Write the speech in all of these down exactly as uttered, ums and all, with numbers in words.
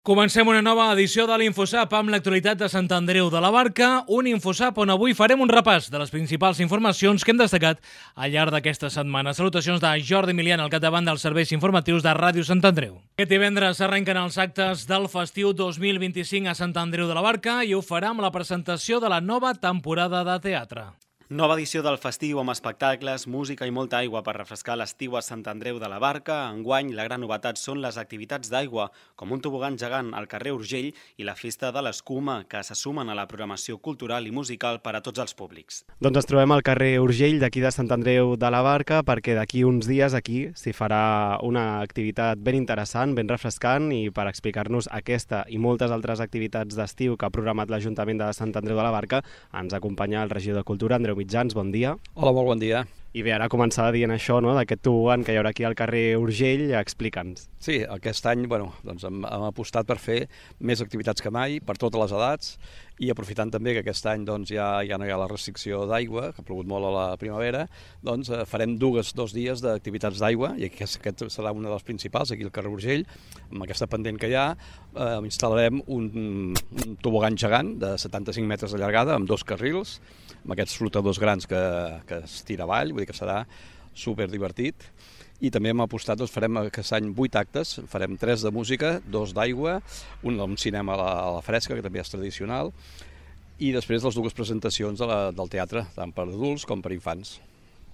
Comencem una nova edició de l'Infosap amb l'actualitat de Sant Andreu de la Barca, un Infosap on avui farem un repàs de les principals informacions que hem destacat al llarg d'aquesta setmana. Salutacions de Jordi Milian al capdavant dels serveis informatius de Ràdio Sant Andreu. Aquest divendres arrenquen els actes del festiu dos mil vint-i-cinc a Sant Andreu de la Barca i ho farà amb la presentació de la nova temporada de teatre. Nova edició del festiu amb espectacles, música i molta aigua per refrescar l'estiu a Sant Andreu de la Barca. Enguany, la gran novetat són les activitats d'aigua, com un tobogan gegant al carrer Urgell i la festa de l'escuma, que se sumen a la programació cultural i musical per a tots els públics. Doncs ens trobem al carrer Urgell d'aquí de Sant Andreu de la Barca perquè d'aquí uns dies aquí s'hi farà una activitat ben interessant, ben refrescant, i per explicar-nos aquesta i moltes altres activitats d'estiu que ha programat l'Ajuntament de Sant Andreu de la Barca ens acompanya el regidor de Cultura, Andreu Mitjans, bon dia. Hola, molt bon dia. I bé, ara començava dient això, no?, d'aquest tobogan que hi haurà aquí al carrer Urgell, explica'ns. Sí, aquest any bueno, doncs hem, hem apostat per fer més activitats que mai, per totes les edats, i aprofitant també que aquest any doncs, ja, ja no hi ha la restricció d'aigua, que ha plogut molt a la primavera, doncs eh, farem dues, dos dies d'activitats d'aigua, i aquest, aquest serà una de les principals, aquí al carrer Urgell, amb aquesta pendent que hi ha, eh, instal·larem un, un tobogan gegant de setanta-cinc metres de llargada, amb dos carrils, amb aquests flotadors grans que, que es tira avall, vull dir que serà super divertit. I també hem apostat, doncs farem aquest any vuit actes, farem tres de música, dos d'aigua, un d'un cinema a la, a la fresca, que també és tradicional, i després les dues presentacions de la, del teatre, tant per adults com per infants.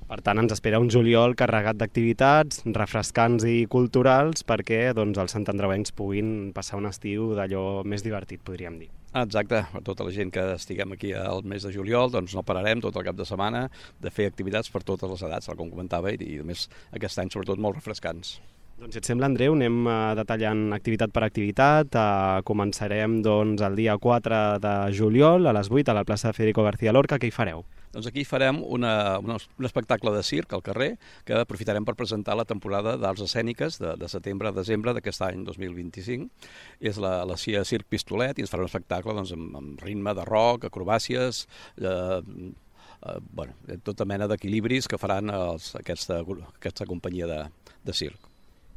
Per tant, ens espera un juliol carregat d'activitats, refrescants i culturals, perquè doncs, els santandreuencs puguin passar un estiu d'allò més divertit, podríem dir. Exacte, per tota la gent que estiguem aquí al mes de juliol, doncs no pararem tot el cap de setmana de fer activitats per totes les edats, com comentava, i, i a més aquest any sobretot molt refrescants. Doncs si et sembla, Andreu, anem detallant activitat per activitat. Començarem doncs, el dia quatre de juliol a les vuit a la plaça Federico García Lorca. Què hi fareu? Doncs aquí farem una, una, un espectacle de circ al carrer que aprofitarem per presentar la temporada d'arts escèniques de, de setembre a desembre d'aquest any dos mil vint-i-cinc. És la, la C I A Circ Pistolet i ens farà un espectacle doncs, amb, amb ritme de rock, acrobàcies, eh, eh, bueno, tota mena d'equilibris que faran els, aquesta, aquesta companyia de, de circ.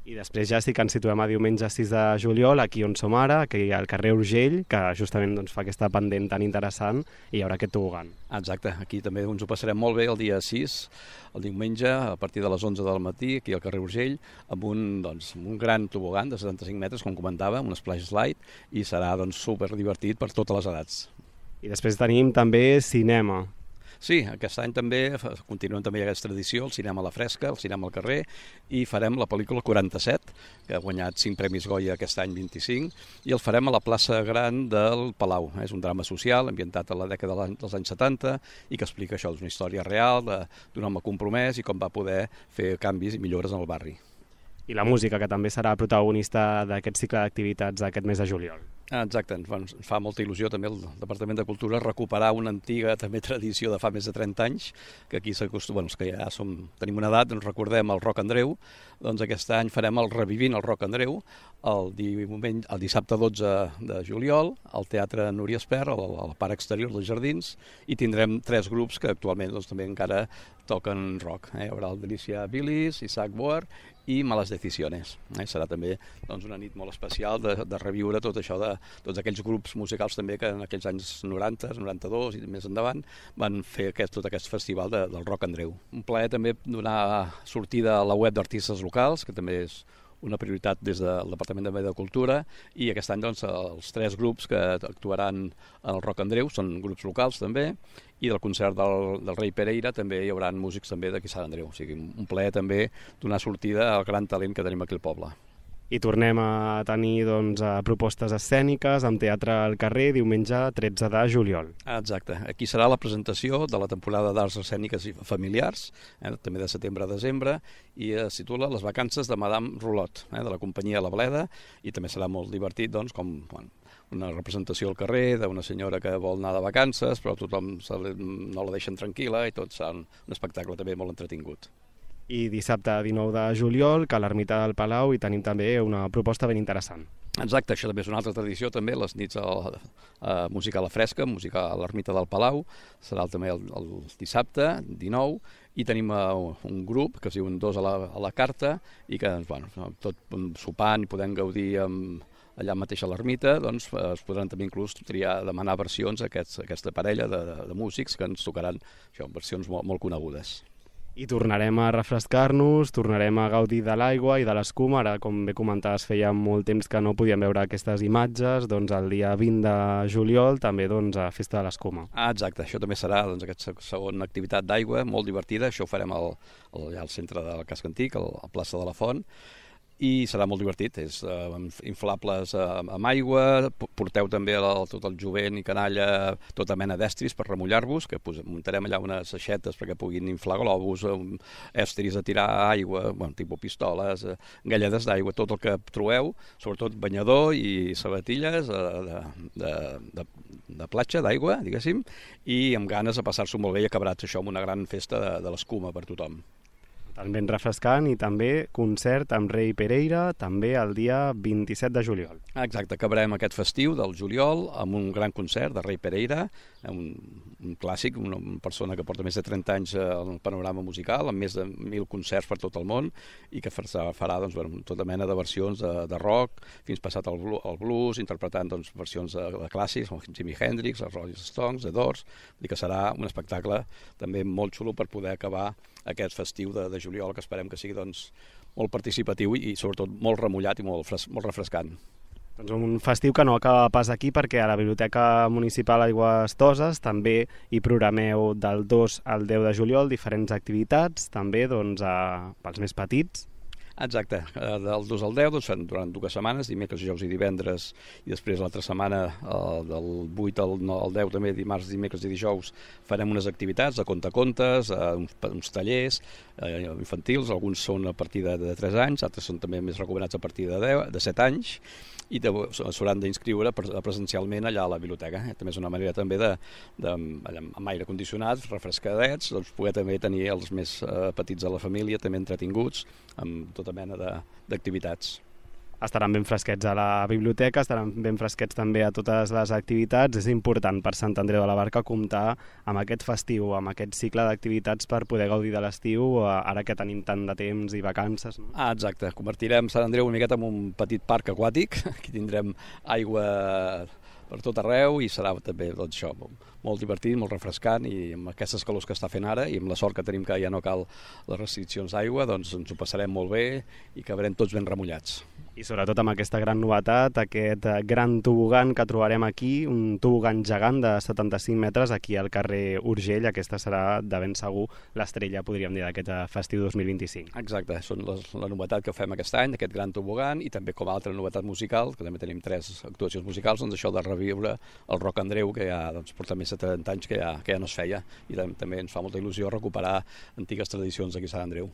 I després ja sí que ens situem a diumenge sis de juliol, aquí on som ara, aquí al carrer Urgell, que justament doncs, fa aquesta pendent tan interessant, i hi haurà aquest tobogan. Exacte, aquí també ens ho passarem molt bé el dia sis, el diumenge, a partir de les onze del matí, aquí al carrer Urgell, amb un, doncs, un gran tobogan de setanta-cinc metres, com comentava, un splash slide, i serà doncs, super divertit per totes les edats. I després tenim també cinema. Sí, aquest any també continuem també aquesta tradició, el cinema a la fresca, el cinema al carrer, i farem la pel·lícula quaranta-set, que ha guanyat cinc premis Goya aquest any vint-i-cinc, i el farem a la plaça Gran del Palau. És un drama social ambientat a la dècada dels anys setanta i que explica això, és una història real d'un home compromès i com va poder fer canvis i millores en el barri. I la música, que també serà protagonista d'aquest cicle d'activitats d'aquest mes de juliol. Exacte, ens fa molta il·lusió també el Departament de Cultura recuperar una antiga també tradició de fa més de trenta anys, que aquí s'acostuma, bueno, que ja som, tenim una edat, ens recordem el Rock Andreu, doncs aquest any farem el Revivint el Rock Andreu, el, diumenge, el dissabte dotze de juliol, al Teatre Núria Espert, a la part exterior dels Jardins, i tindrem tres grups que actualment doncs, també encara toquen rock. Eh? Hi haurà el Delícia Bilis, Isaac Boer i Malas Decisiones. Eh? Serà també doncs, una nit molt especial de, de reviure tot això de tots aquells grups musicals també que en aquells anys noranta, noranta-dos i més endavant van fer aquest, tot aquest festival de, del Rock Andreu. Un plaer també donar sortida a la web d'artistes locals, que també és una prioritat des del Departament de Cultura, i aquest any doncs, els tres grups que actuaran en el Rock Andreu són grups locals també, i del concert del, del Rei Pereira també hi haurà músics també d'aquí Sant Andreu. O sigui, un plaer també donar sortida al gran talent que tenim aquí al poble. I tornem a tenir doncs, propostes escèniques amb teatre al carrer diumenge tretze de juliol. Exacte. Aquí serà la presentació de la temporada d'arts escèniques i familiars, eh, també de setembre a desembre, i es titula Les vacances de Madame Rolot, eh, de la companyia La Bleda, i també serà molt divertit, doncs, com bueno, una representació al carrer d'una senyora que vol anar de vacances, però tothom se li, no la deixen tranquil·la, i tot serà un, un espectacle també molt entretingut. I dissabte dinou de juliol, que a l'Ermita del Palau hi tenim també una proposta ben interessant. Exacte, això també és una altra tradició, també, les nits a, a música a la fresca, música a l'Ermita del Palau, serà també el, el dissabte, dinou, i tenim uh, un grup que es diuen Dos a la, a la Carta, i que, bueno, tot sopant i podem gaudir amb, allà mateix a l'ermita, doncs es podran també inclús triar, demanar versions a aquests, aquesta parella de, de, de músics que ens tocaran això, versions molt, molt conegudes. I tornarem a refrescar-nos, tornarem a gaudir de l'aigua i de l'escuma. Ara, com bé comentaves, feia molt temps que no podíem veure aquestes imatges, doncs el dia vint de juliol també doncs, a Festa de l'Escuma. Ah, exacte, això també serà doncs, aquesta segona activitat d'aigua, molt divertida, això ho farem al, al, allà al centre del casc antic, a la plaça de la Font, i serà molt divertit, és uh, inflables uh, amb aigua, porteu també el, tot el jovent i canalla, tota mena d'estris per remullar-vos, que posem, muntarem allà unes aixetes perquè puguin inflar globus, um, estris a tirar aigua, bueno, tipus pistoles, uh, galledes d'aigua, tot el que trobeu, sobretot banyador i sabatilles uh, de, de, de, de platja, d'aigua, diguéssim, i amb ganes de passar-s'ho molt bé i acabarats això amb una gran festa de, de l'escuma per tothom. Ben refrescant, i també concert amb Rei Pereira, també el dia vint-i-set de juliol. Exacte, acabarem aquest festiu del juliol amb un gran concert de Rei Pereira, un, un clàssic, una persona que porta més de trenta anys al panorama musical, amb més de mil concerts per tot el món, i que farà doncs, bueno, tota mena de versions de, de rock, fins passat al blues, interpretant doncs, versions de, de clàssics, com Jimi Hendrix, els Rolling Stones, The Doors, i que serà un espectacle també molt xulo per poder acabar aquest festiu de, de juliol, que esperem que sigui doncs, molt participatiu i, i sobretot molt remullat i molt, fres, molt refrescant. Doncs un festiu que no acaba pas aquí, perquè a la Biblioteca Municipal Aigües Toses també hi programeu del dos al deu de juliol diferents activitats, també doncs, a, pels més petits. Exacte, del dos al deu, doncs, durant dues setmanes, dimecres, dijous i divendres, i després l'altra setmana, del vuit al deu, també dimarts, dimecres i dijous, farem unes activitats de contacontes, uns, uns tallers eh, infantils, alguns són a partir de, de tres anys, altres són també més recomanats a partir de, deu, de set anys, i s'hauran d'inscriure presencialment allà a la biblioteca. També és una manera també de, de amb aire condicionat, refrescadets, doncs poder també tenir els més eh, petits de la família també entretinguts amb tota mena d'activitats. Estaran ben fresquets a la biblioteca, estaran ben fresquets també a totes les activitats. És important per Sant Andreu de la Barca comptar amb aquest festiu, amb aquest cicle d'activitats per poder gaudir de l'estiu, ara que tenim tant de temps i vacances. No? Ah, exacte. Convertirem Sant Andreu una miqueta en un petit parc aquàtic. Aquí tindrem aigua per tot arreu i serà també doncs, això, molt divertit, molt refrescant, i amb aquestes calors que està fent ara i amb la sort que tenim que ja no cal les restriccions d'aigua, doncs ens ho passarem molt bé i acabarem tots ben remullats. I sobretot amb aquesta gran novetat, aquest gran tobogan que trobarem aquí, un tobogan gegant de setanta-cinc metres aquí al carrer Urgell. Aquesta serà de ben segur l'estrella, podríem dir, d'aquest festiu dos mil vint-i-cinc. Exacte, són les, la novetat que fem aquest any, aquest gran tobogan, i també com a altra novetat musical, que també tenim tres actuacions musicals, doncs això de reviure el Rock Andreu, que ja doncs, porta més de trenta anys que ja, que ja no es feia, i també ens fa molta il·lusió recuperar antigues tradicions aquí a Sant Andreu.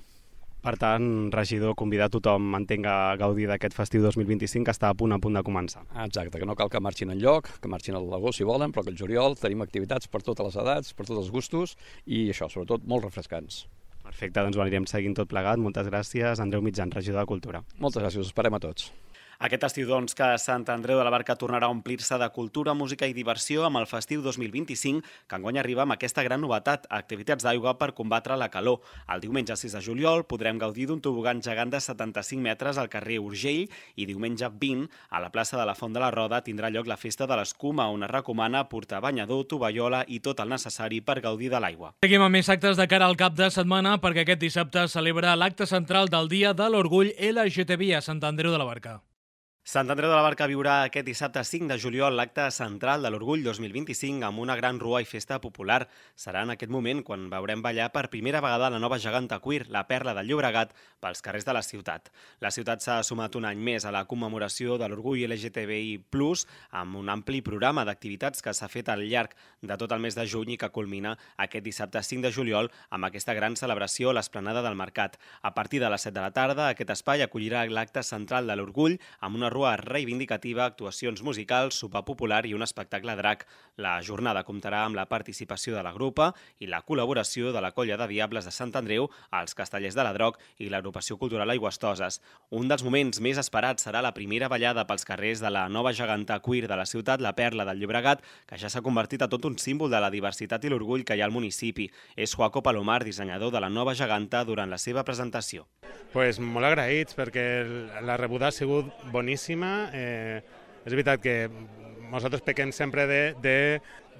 Per tant, regidor, convidar tothom, entenc, a gaudir d'aquest festiu dos mil vint-i-cinc que està a punt a punt de començar. Exacte, que no cal que marxin enlloc, que marxin a l'agost si volen, però que el juliol tenim activitats per totes les edats, per tots els gustos, i això, sobretot, molt refrescants. Perfecte, doncs ho anirem seguint tot plegat. Moltes gràcies, Andreu Mitjan, regidor de Cultura. Moltes gràcies, us esperem a tots. Aquest estiu, doncs, que Sant Andreu de la Barca tornarà a omplir-se de cultura, música i diversió amb el festiu dos mil vint-i-cinc, que enguany arriba amb aquesta gran novetat, activitats d'aigua per combatre la calor. El diumenge sis de juliol podrem gaudir d'un tobogan gegant de setanta-cinc metres al carrer Urgell, i diumenge vint, a la plaça de la Font de la Roda, tindrà lloc la festa de l'escuma, on es recomana portar banyador, tovallola i tot el necessari per gaudir de l'aigua. Seguim amb més actes de cara al cap de setmana, perquè aquest dissabte celebra l'acte central del Dia de l'Orgull L G T B I a Sant Andreu de la Barca. Sant Andreu de la Barca viurà aquest dissabte cinc de juliol l'acte central de l'Orgull dos mil vint-i-cinc amb una gran rua i festa popular. Serà en aquest moment quan veurem ballar per primera vegada la nova geganta queer, la Perla del Llobregat, pels carrers de la ciutat. La ciutat s'ha sumat un any més a la commemoració de l'Orgull L G T B I plus, amb un ampli programa d'activitats que s'ha fet al llarg de tot el mes de juny i que culmina aquest dissabte cinc de juliol amb aquesta gran celebració a l'Esplanada del Mercat. A partir de les set de la tarda, aquest espai acollirà l'acte central de l'Orgull amb una rua reivindicativa, actuacions musicals, sopar popular i un espectacle drac. La jornada comptarà amb la participació de la grupa i la col·laboració de la Colla de Diables de Sant Andreu, els Castellers de la Droc i l'Agrupació Cultural Aigües Toses. Un dels moments més esperats serà la primera ballada pels carrers de la nova geganta queer de la ciutat, la Perla del Llobregat, que ja s'ha convertit a tot un símbol de la diversitat i l'orgull que hi ha al municipi. És Joaco Palomar, dissenyador de la nova geganta, durant la seva presentació. Pues molt agraïts, perquè la rebuda ha sigut boníssima. Eh, És veritat que nosaltres pequem sempre de, de,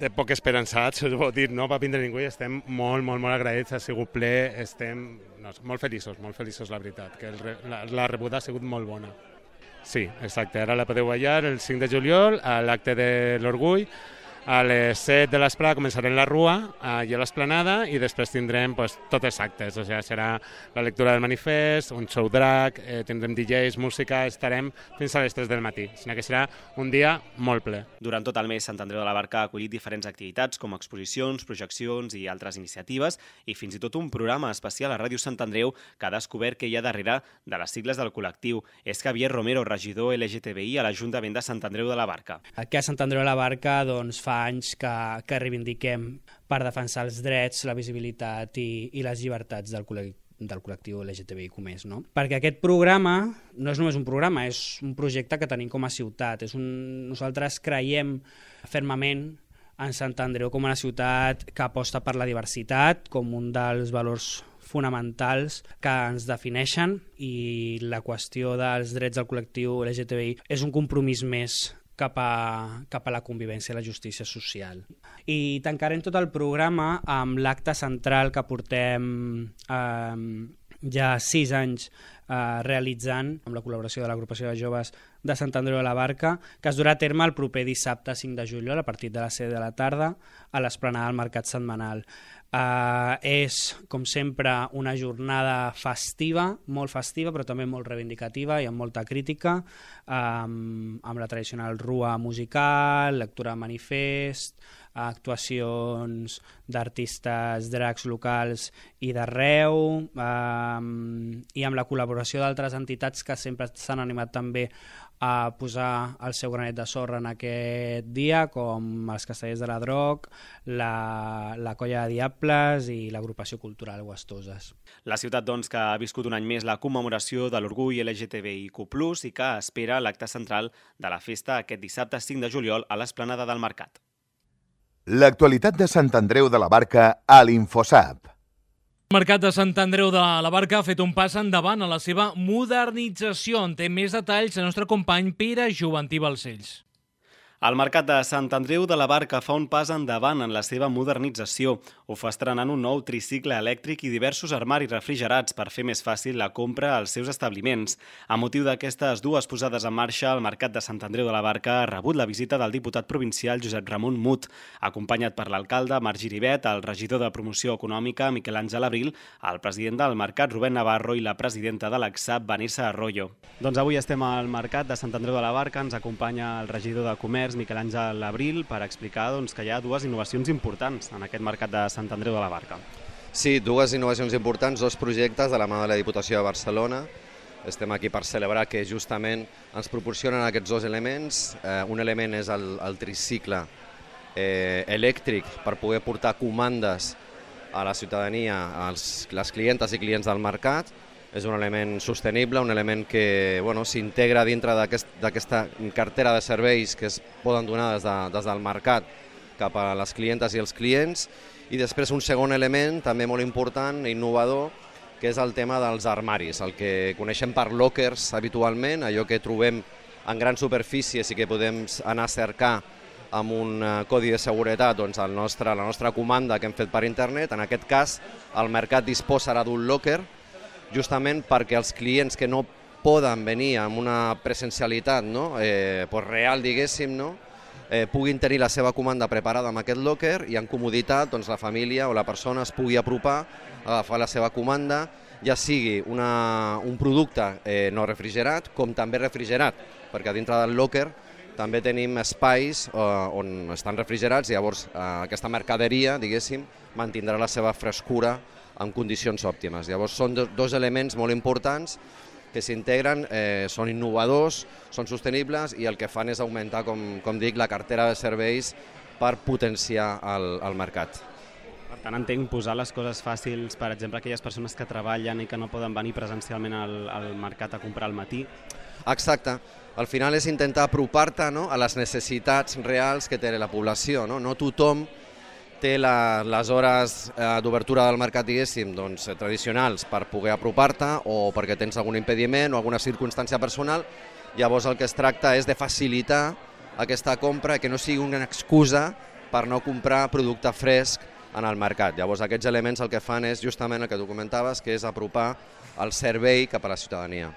de poc esperançats, us ho dir, no va vindre ningú i estem molt, molt, molt agraïts, ha sigut ple, estem no, molt feliços, molt feliços, la veritat, que el, la, la rebuda ha sigut molt bona. Sí, exacte, ara la podeu ballar el cinc de juliol a l'acte de l'Orgull. A les set de l'esprà començarem la rua allà a l'Esplanada i després tindrem pues, tots els actes, o sigui, serà la lectura del manifest, un show drag, eh, tindrem D Js, música, estarem fins a les tres del matí, sinó que serà un dia molt ple. Durant tot el mes, Sant Andreu de la Barca ha acollit diferents activitats com exposicions, projeccions i altres iniciatives i fins i tot un programa especial a Ràdio Sant Andreu que ha descobert que hi ha darrere de les sigles del col·lectiu. És Javier Romero, regidor L G T B I a l'Ajuntament de Sant Andreu de la Barca. Aquí a Sant Andreu de la Barca doncs, fa anys que, que reivindiquem per defensar els drets, la visibilitat i, i les llibertats del col·lectiu del col·lectiu L G T B I com és, no? Perquè aquest programa no és només un programa, és un projecte que tenim com a ciutat. És un... Nosaltres creiem fermament en Sant Andreu com una ciutat que aposta per la diversitat com un dels valors fonamentals que ens defineixen i la qüestió dels drets del col·lectiu L G T B I és un compromís més cap a, cap a la convivència i la justícia social. I tancarem tot el programa amb l'acte central que portem eh, ja sis anys eh, realitzant amb la col·laboració de l'Agrupació de Joves de Sant Andreu de la Barca, que es durà a terme el proper dissabte cinc de juliol a partir de les set de la tarda a l'esplanada del Mercat Setmanal. Uh, és, com sempre, una jornada festiva, molt festiva, però també molt reivindicativa i amb molta crítica, um, amb la tradicional rua musical, lectura de manifest, actuacions d'artistes drags locals i d'arreu, um, i amb la col·laboració d'altres entitats que sempre s'han animat també a posar el seu granet de sorra en aquest dia, com els Castellers de la Droc, la, la Colla de Diables i l'Agrupació Cultural Guastoses. La ciutat, doncs, que ha viscut un any més la commemoració de l'orgull L G T B I Q plus, i que espera l'acte central de la festa aquest dissabte cinc de juliol a l'Esplanada del Mercat. L'actualitat de Sant Andreu de la Barca a l'Infosap. El Mercat de Sant Andreu de la Barca ha fet un pas endavant a la seva modernització. En té més detalls el nostre company Pere Joventí Balcells. El Mercat de Sant Andreu de la Barca fa un pas endavant en la seva modernització. Ho fa estrenant un nou tricicle elèctric i diversos armaris refrigerats per fer més fàcil la compra als seus establiments. A motiu d'aquestes dues posades en marxa, el Mercat de Sant Andreu de la Barca ha rebut la visita del diputat provincial Josep Ramon Mut, acompanyat per l'alcalde Marc Giribet, el regidor de Promoció Econòmica Miquel Àngel Abril, el president del Mercat Rubén Navarro i la presidenta de l'A C S A P Vanessa Arroyo. Doncs avui estem al Mercat de Sant Andreu de la Barca, ens acompanya el regidor de Comerç Miquel Àngel Abril per explicar doncs, que hi ha dues innovacions importants en aquest Mercat de Sant Andreu de la Barca. Sí, dues innovacions importants, dos projectes de la mà de la Diputació de Barcelona. Estem aquí per celebrar que justament ens proporcionen aquests dos elements. Eh, un element és el, el tricicle eh, elèctric per poder portar comandes a la ciutadania, als les clientes i clients del mercat. És un element sostenible, un element que bueno, s'integra dintre d'aquesta cartera de serveis que es poden donar des, de, des del mercat cap a les clientes i els clients. I després un segon element, també molt important i innovador, que és el tema dels armaris, el que coneixem per lockers habitualment, allò que trobem en grans superfícies i que podem anar a cercar amb un codi de seguretat doncs, el nostre, la nostra comanda que hem fet per internet. En aquest cas, el mercat disposarà d'un locker, justament perquè els clients que no poden venir amb una presencialitat no? eh, pues real, diguéssim, no? eh, puguin tenir la seva comanda preparada amb aquest locker i en comoditat doncs, la família o la persona es pugui apropar, agafar la seva comanda, ja sigui una, un producte eh, no refrigerat com també refrigerat, perquè dintre del locker també tenim espais eh, on estan refrigerats i llavors eh, aquesta mercaderia, diguéssim, mantindrà la seva frescura en condicions òptimes. Llavors són dos elements molt importants que s'integren, eh, són innovadors, són sostenibles i el que fan és augmentar, com, com dic, la cartera de serveis per potenciar el, el mercat. Per tant, entenc posar les coses fàcils, per exemple, aquelles persones que treballen i que no poden venir presencialment al, al mercat a comprar al matí. Exacte. Al final és intentar apropar-te no, a les necessitats reals que té la població. No, no tothom té la, les hores eh, d'obertura del mercat, diguéssim, doncs, tradicionals per poder apropar-te o perquè tens algun impediment o alguna circumstància personal, Llavors el que es tracta és de facilitar aquesta compra, que no sigui una excusa per no comprar producte fresc en el mercat. Llavors aquests elements el que fan és justament el que tu comentaves, que és apropar el servei cap a la ciutadania.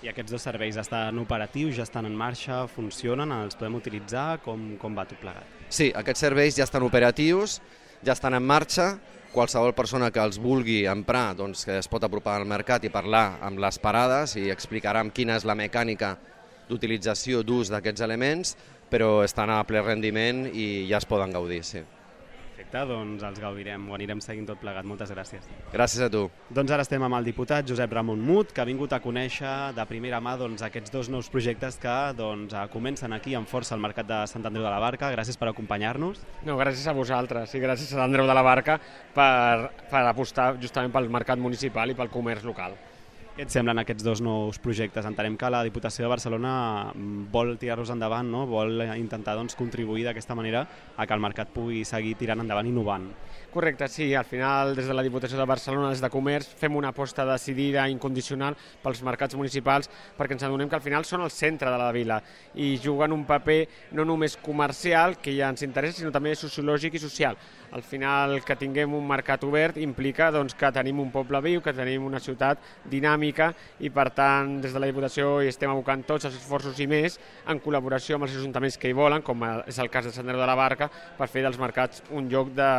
I aquests dos serveis estan operatius, ja estan en marxa, funcionen, els podem utilitzar? Com, com va tot plegat? Sí, aquests serveis ja estan operatius, ja estan en marxa. Qualsevol persona que els vulgui emprar doncs, que es pot apropar al mercat i parlar amb les parades i explicarem quina és la mecànica d'utilització d'ús d'aquests elements, però estan a ple rendiment i ja es poden gaudir, sí. Perfecte, doncs els gaudirem, ho anirem seguint tot plegat. Moltes gràcies. Gràcies a tu. Doncs ara estem amb el diputat Josep Ramon Mut, que ha vingut a conèixer de primera mà doncs, aquests dos nous projectes que doncs, comencen aquí amb força al Mercat de Sant Andreu de la Barca. Gràcies per acompanyar-nos. No, gràcies a vosaltres i gràcies a Sant Andreu de la Barca per, per apostar justament pel mercat municipal i pel comerç local. Què et semblen aquests dos nous projectes? Entenem que la Diputació de Barcelona vol tirar-los endavant, no? Vol intentar doncs, contribuir d'aquesta manera a que el mercat pugui seguir tirant endavant i innovant. Correcte, sí. Al final, des de la Diputació de Barcelona, des de Comerç, fem una aposta decidida, incondicional, pels mercats municipals, perquè ens adonem que al final són el centre de la vila i juguen un paper no només comercial, que ja ens interessa, sinó també sociològic i social. Al final, que tinguem un mercat obert implica doncs, que tenim un poble viu, que tenim una ciutat dinàmica i, per tant, des de la Diputació hi estem abocant tots els esforços i més en col·laboració amb els ajuntaments que hi volen, com és el cas de Sant Andreu de la Barca, per fer dels mercats un lloc de,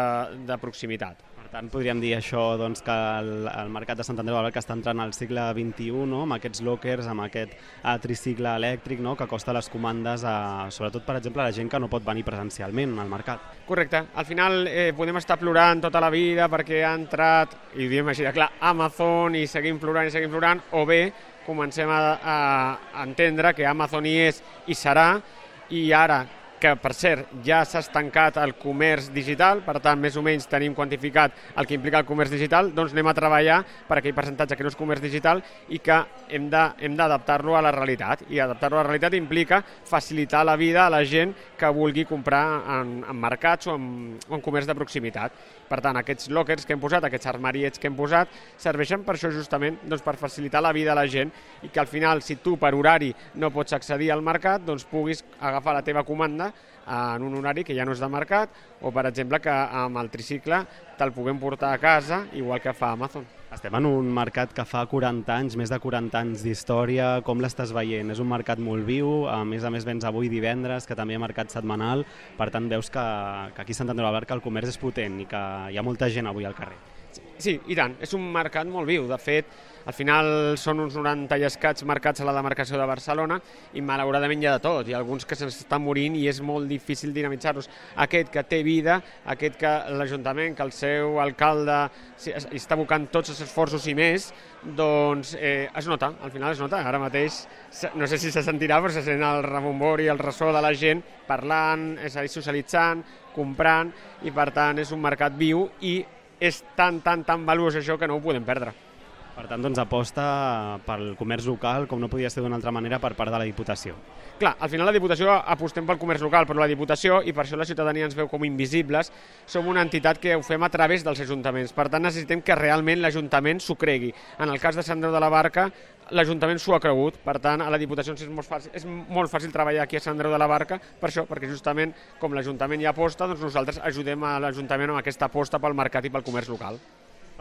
de proximitat. Per tant, podríem dir això, doncs, que el, el mercat de Sant Andreu de la Barca està entrant al segle vint-i-u, no? Amb aquests lockers, amb aquest uh, tricicle elèctric, no? Que acosta les comandes a, sobretot, per exemple, a la gent que no pot venir presencialment al mercat. Correcte. Al final eh, podem estar plorant tota la vida perquè ha entrat, i ho diem així de clar, Amazon i seguim plorant i seguim plorant, o bé comencem a, a, a entendre que Amazon hi és i serà, i ara que, per cert, ja s'ha estancat el comerç digital, per tant, més o menys tenim quantificat el que implica el comerç digital, doncs anem a treballar per aquell percentatge que no és comerç digital i que hem de, hem d'adaptar-lo a la realitat. I adaptar-lo a la realitat implica facilitar la vida a la gent que vulgui comprar en, en mercats o en, o en comerç de proximitat. Per tant, aquests lockers que hem posat, aquests armariets que hem posat, serveixen per això justament, doncs per facilitar la vida a la gent i que al final, si tu per horari no pots accedir al mercat, doncs puguis agafar la teva comanda en un horari que ja no és de mercat o, per exemple, que amb el tricicle te'l puguem portar a casa, igual que fa Amazon. Estem en un mercat que fa quaranta anys, més de quaranta anys d'història. Com l'estàs veient? És un mercat molt viu, a més a més vens avui divendres, que també hi ha mercat setmanal, per tant veus que, que aquí a Sant Andreu de la Barca el comerç és potent i que hi ha molta gent avui al carrer. Sí, i tant, és un mercat molt viu. De fet, al final són uns noranta i escaig mercats a la demarcació de Barcelona i malauradament hi ha de tot. Hi ha alguns que s'estan morint i és molt difícil dinamitzar-los. Aquest que té vida, aquest que l'Ajuntament, que el seu alcalde està abocant tots els esforços i més, doncs eh, es nota, al final es nota. Ara mateix, no sé si se sentirà, però se sent el rebombori i el ressò de la gent parlant, és a dir, socialitzant, comprant, i per tant és un mercat viu i és tan, tan, tan valuós això que no ho podem perdre. Per tant, doncs aposta pel comerç local, com no podia ser d'una altra manera, per part de la Diputació. Clar, al final la Diputació apostem pel comerç local, però la Diputació, i per això la ciutadania ens veu com invisibles, som una entitat que ho fem a través dels ajuntaments. Per tant, necessitem que realment l'Ajuntament s'ho cregui. En el cas de Sant Andreu de la Barca, l'Ajuntament s'ho ha cregut. Per tant, a la Diputació és molt fàcil, és molt fàcil treballar aquí a Sant Andreu de la Barca, per això, perquè justament com l'Ajuntament hi aposta, doncs nosaltres ajudem a l'Ajuntament amb aquesta aposta pel mercat i pel comerç local.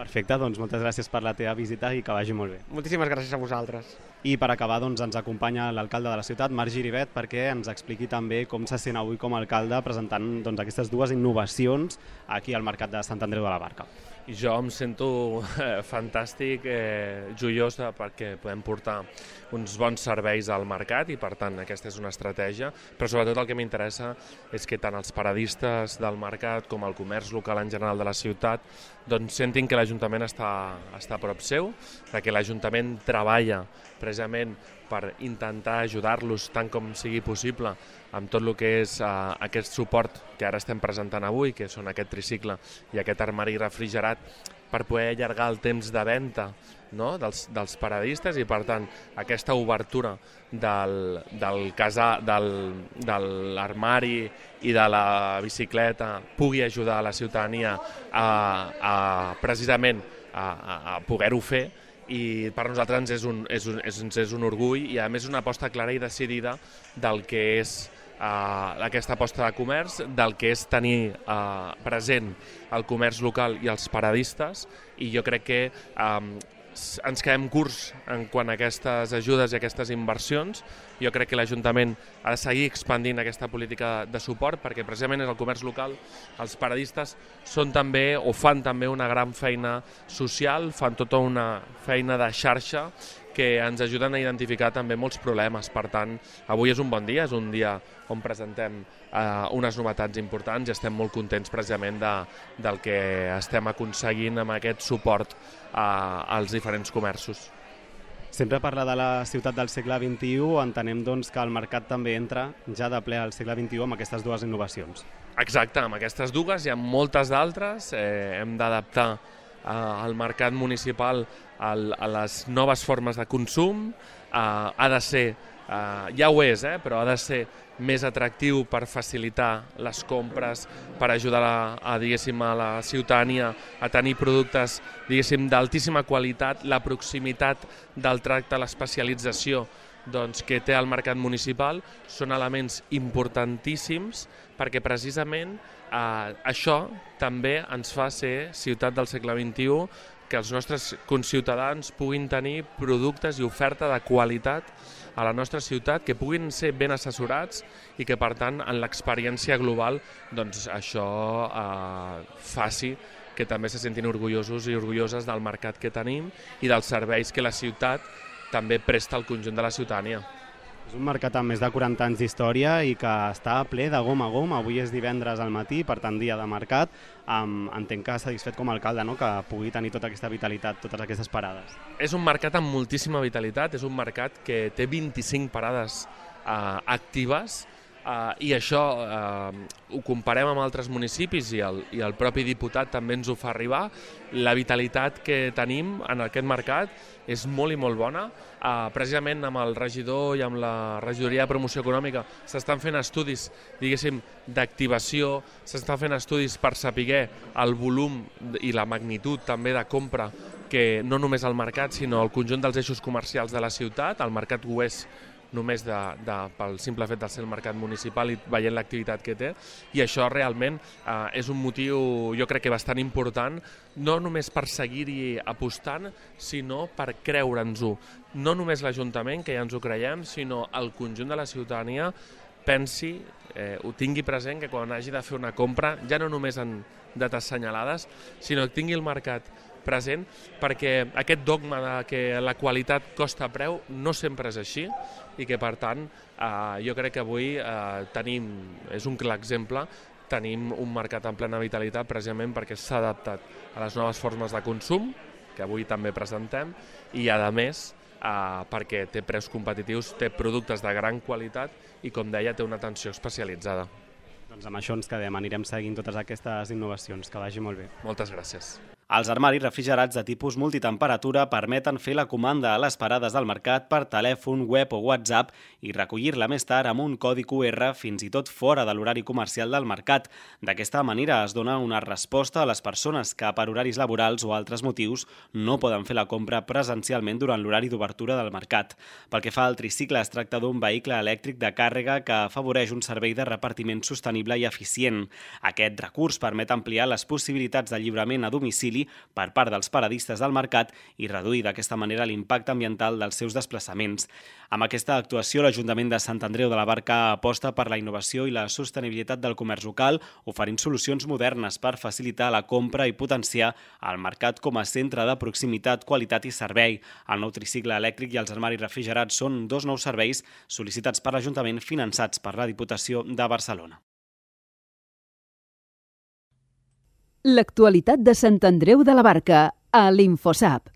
Perfecte, doncs moltes gràcies per la teva visita i que vagi molt bé. Moltíssimes gràcies a vosaltres. I per acabar, doncs, ens acompanya l'alcalde de la ciutat, Marc Giribet, perquè ens expliqui també com se sent avui com a alcalde presentant doncs, aquestes dues innovacions aquí al Mercat de Sant Andreu de la Barca. I jo em sento eh, fantàstic, eh, joiós perquè podem portar uns bons serveis al mercat i per tant aquesta és una estratègia, però sobretot el que m'interessa és que tant els paradistes del mercat com el comerç local en general de la ciutat doncs sentin que l'Ajuntament està, està a prop seu, que l'Ajuntament treballa precisament per intentar ajudar-los tant com sigui possible amb tot el que és uh, aquest suport que ara estem presentant avui, que són aquest tricicle i aquest armari refrigerat, per poder allargar el temps de venda, no? dels, dels paradistes i, per tant, aquesta obertura del, del casà, del, de l'armari i de la bicicleta pugui ajudar a la ciutadania a, a precisament a, a, a poder-ho fer i per nosaltres ens és un, és un, és, és un orgull i a més una aposta clara i decidida del que és uh, aquesta aposta de comerç, del que és tenir uh, present el comerç local i els paradistes, i jo crec que um, ens quedem curts en quant a aquestes ajudes i aquestes inversions. Jo crec que l'Ajuntament ha de seguir expandint aquesta política de suport perquè precisament és el comerç local, els paradistes són també o fan també una gran feina social, fan tota una feina de xarxa que ens ajuden a identificar també molts problemes. Per tant, avui és un bon dia, és un dia on presentem eh, unes novetats importants i estem molt contents precisament de, del que estem aconseguint amb aquest suport eh, als diferents comerços. Sempre parla de la ciutat del segle vint-i-u, entenem doncs, que el mercat també entra ja de ple al segle vint-i-u amb aquestes dues innovacions. Exacte, amb aquestes dues hi ha moltes d'altres, eh, hem d'adaptar eh, el mercat municipal al, a les noves formes de consum, eh, ha de ser, eh, ja ho és, eh, però ha de ser més atractiu per facilitar les compres, per ajudar a, a, diguéssim, a la ciutadania a tenir productes diguéssim d'altíssima qualitat, la proximitat del tracte, l'especialització doncs, que té el mercat municipal són elements importantíssims perquè precisament eh, això també ens fa ser ciutat del segle vint-i-u, que els nostres conciutadans puguin tenir productes i oferta de qualitat a la nostra ciutat, que puguin ser ben assessorats i que, per tant, en l'experiència global, doncs això eh, faci que també se sentin orgullosos i orgulloses del mercat que tenim i dels serveis que la ciutat també presta al conjunt de la ciutadania. És un mercat amb més de quaranta anys d'història i que està ple de gom a gom. Avui és divendres al matí, per tant dia de mercat. Um, entenc que satisfet com a alcalde, no?, que pugui tenir tota aquesta vitalitat, totes aquestes parades. És un mercat amb moltíssima vitalitat, és un mercat que té vint-i-cinc parades uh, actives uh, i això uh, ho comparem amb altres municipis i el, i el propi diputat també ens ho fa arribar. La vitalitat que tenim en aquest mercat és molt i molt bona. Uh, precisament amb el regidor i amb la regidoria de promoció econòmica s'estan fent estudis, diguéssim, d'activació, s'estan fent estudis per saber el volum i la magnitud també de compra que no només al mercat sinó al conjunt dels eixos comercials de la ciutat. El mercat ho és només de, de, pel simple fet de ser el mercat municipal i veient l'activitat que té, i això realment eh, és un motiu, jo crec que bastant important, no només per seguir-hi apostant, sinó per creure'ns-ho. No només l'Ajuntament, que ja ens ho creiem, sinó el conjunt de la ciutadania pensi, eh, ho tingui present, que quan hagi de fer una compra, ja no només en dates assenyalades, sinó que tingui el mercat present, perquè aquest dogma de que la qualitat costa preu no sempre és així i que, per tant, eh, jo crec que avui eh, tenim, és un clar exemple, tenim un mercat en plena vitalitat precisament perquè s'ha adaptat a les noves formes de consum, que avui també presentem, i a més eh, perquè té preus competitius, té productes de gran qualitat i, com deia, té una atenció especialitzada. Doncs amb això ens quedem, anirem seguint totes aquestes innovacions, que vagi molt bé. Moltes gràcies. Els armaris refrigerats de tipus multitemperatura permeten fer la comanda a les parades del mercat per telèfon, web o WhatsApp i recollir-la més tard amb un codi Q R fins i tot fora de l'horari comercial del mercat. D'aquesta manera es dona una resposta a les persones que per horaris laborals o altres motius no poden fer la compra presencialment durant l'horari d'obertura del mercat. Pel que fa al tricicle, es tracta d'un vehicle elèctric de càrrega que afavoreix un servei de repartiment sostenible i eficient. Aquest recurs permet ampliar les possibilitats de lliurament a domicili per part dels paradistes del mercat i reduir d'aquesta manera l'impacte ambiental dels seus desplaçaments. Amb aquesta actuació, l'Ajuntament de Sant Andreu de la Barca aposta per la innovació i la sostenibilitat del comerç local, oferint solucions modernes per facilitar la compra i potenciar el mercat com a centre de proximitat, qualitat i servei. El nou tricicle elèctric i els armaris refrigerats són dos nous serveis sol·licitats per l'Ajuntament finançats per la Diputació de Barcelona. L'actualitat de Sant Andreu de la Barca, a l'Infosap.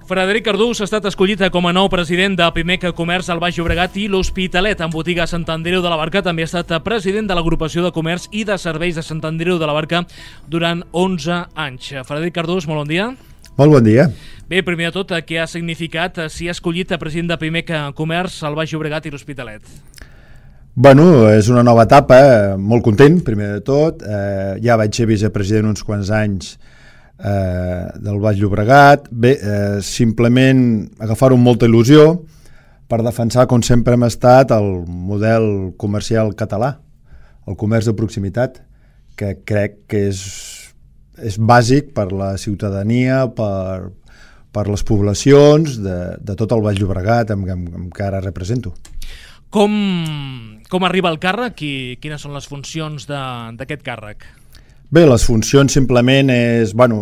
Frederic Cardús ha estat escollit com a nou president de Pimec Comerç al Baix Llobregat i l'Hospitalet. En botiga Sant Andreu de la Barca també ha estat president de l'Agrupació de Comerç i de Serveis de Sant Andreu de la Barca durant onze anys. Frederic Cardús, molt bon dia. Molt bon dia. Bé, primer de tot, què ha significat si ha escollit a president de Pimec Comerç al Baix Llobregat i l'Hospitalet? Bueno, és una nova etapa, molt content, primer de tot. Eh, ja vaig ser vicepresident uns quants anys eh, del Baix Llobregat. Bé, eh, simplement agafar-ho amb molta il·lusió per defensar, com sempre hem estat, el model comercial català, el comerç de proximitat, que crec que és, és bàsic per la ciutadania, per, per les poblacions de, de tot el Baix Llobregat, amb, amb, amb que ara represento. Com, com arriba el càrrec i quines són les funcions d'aquest càrrec? Bé, les funcions simplement és, bueno,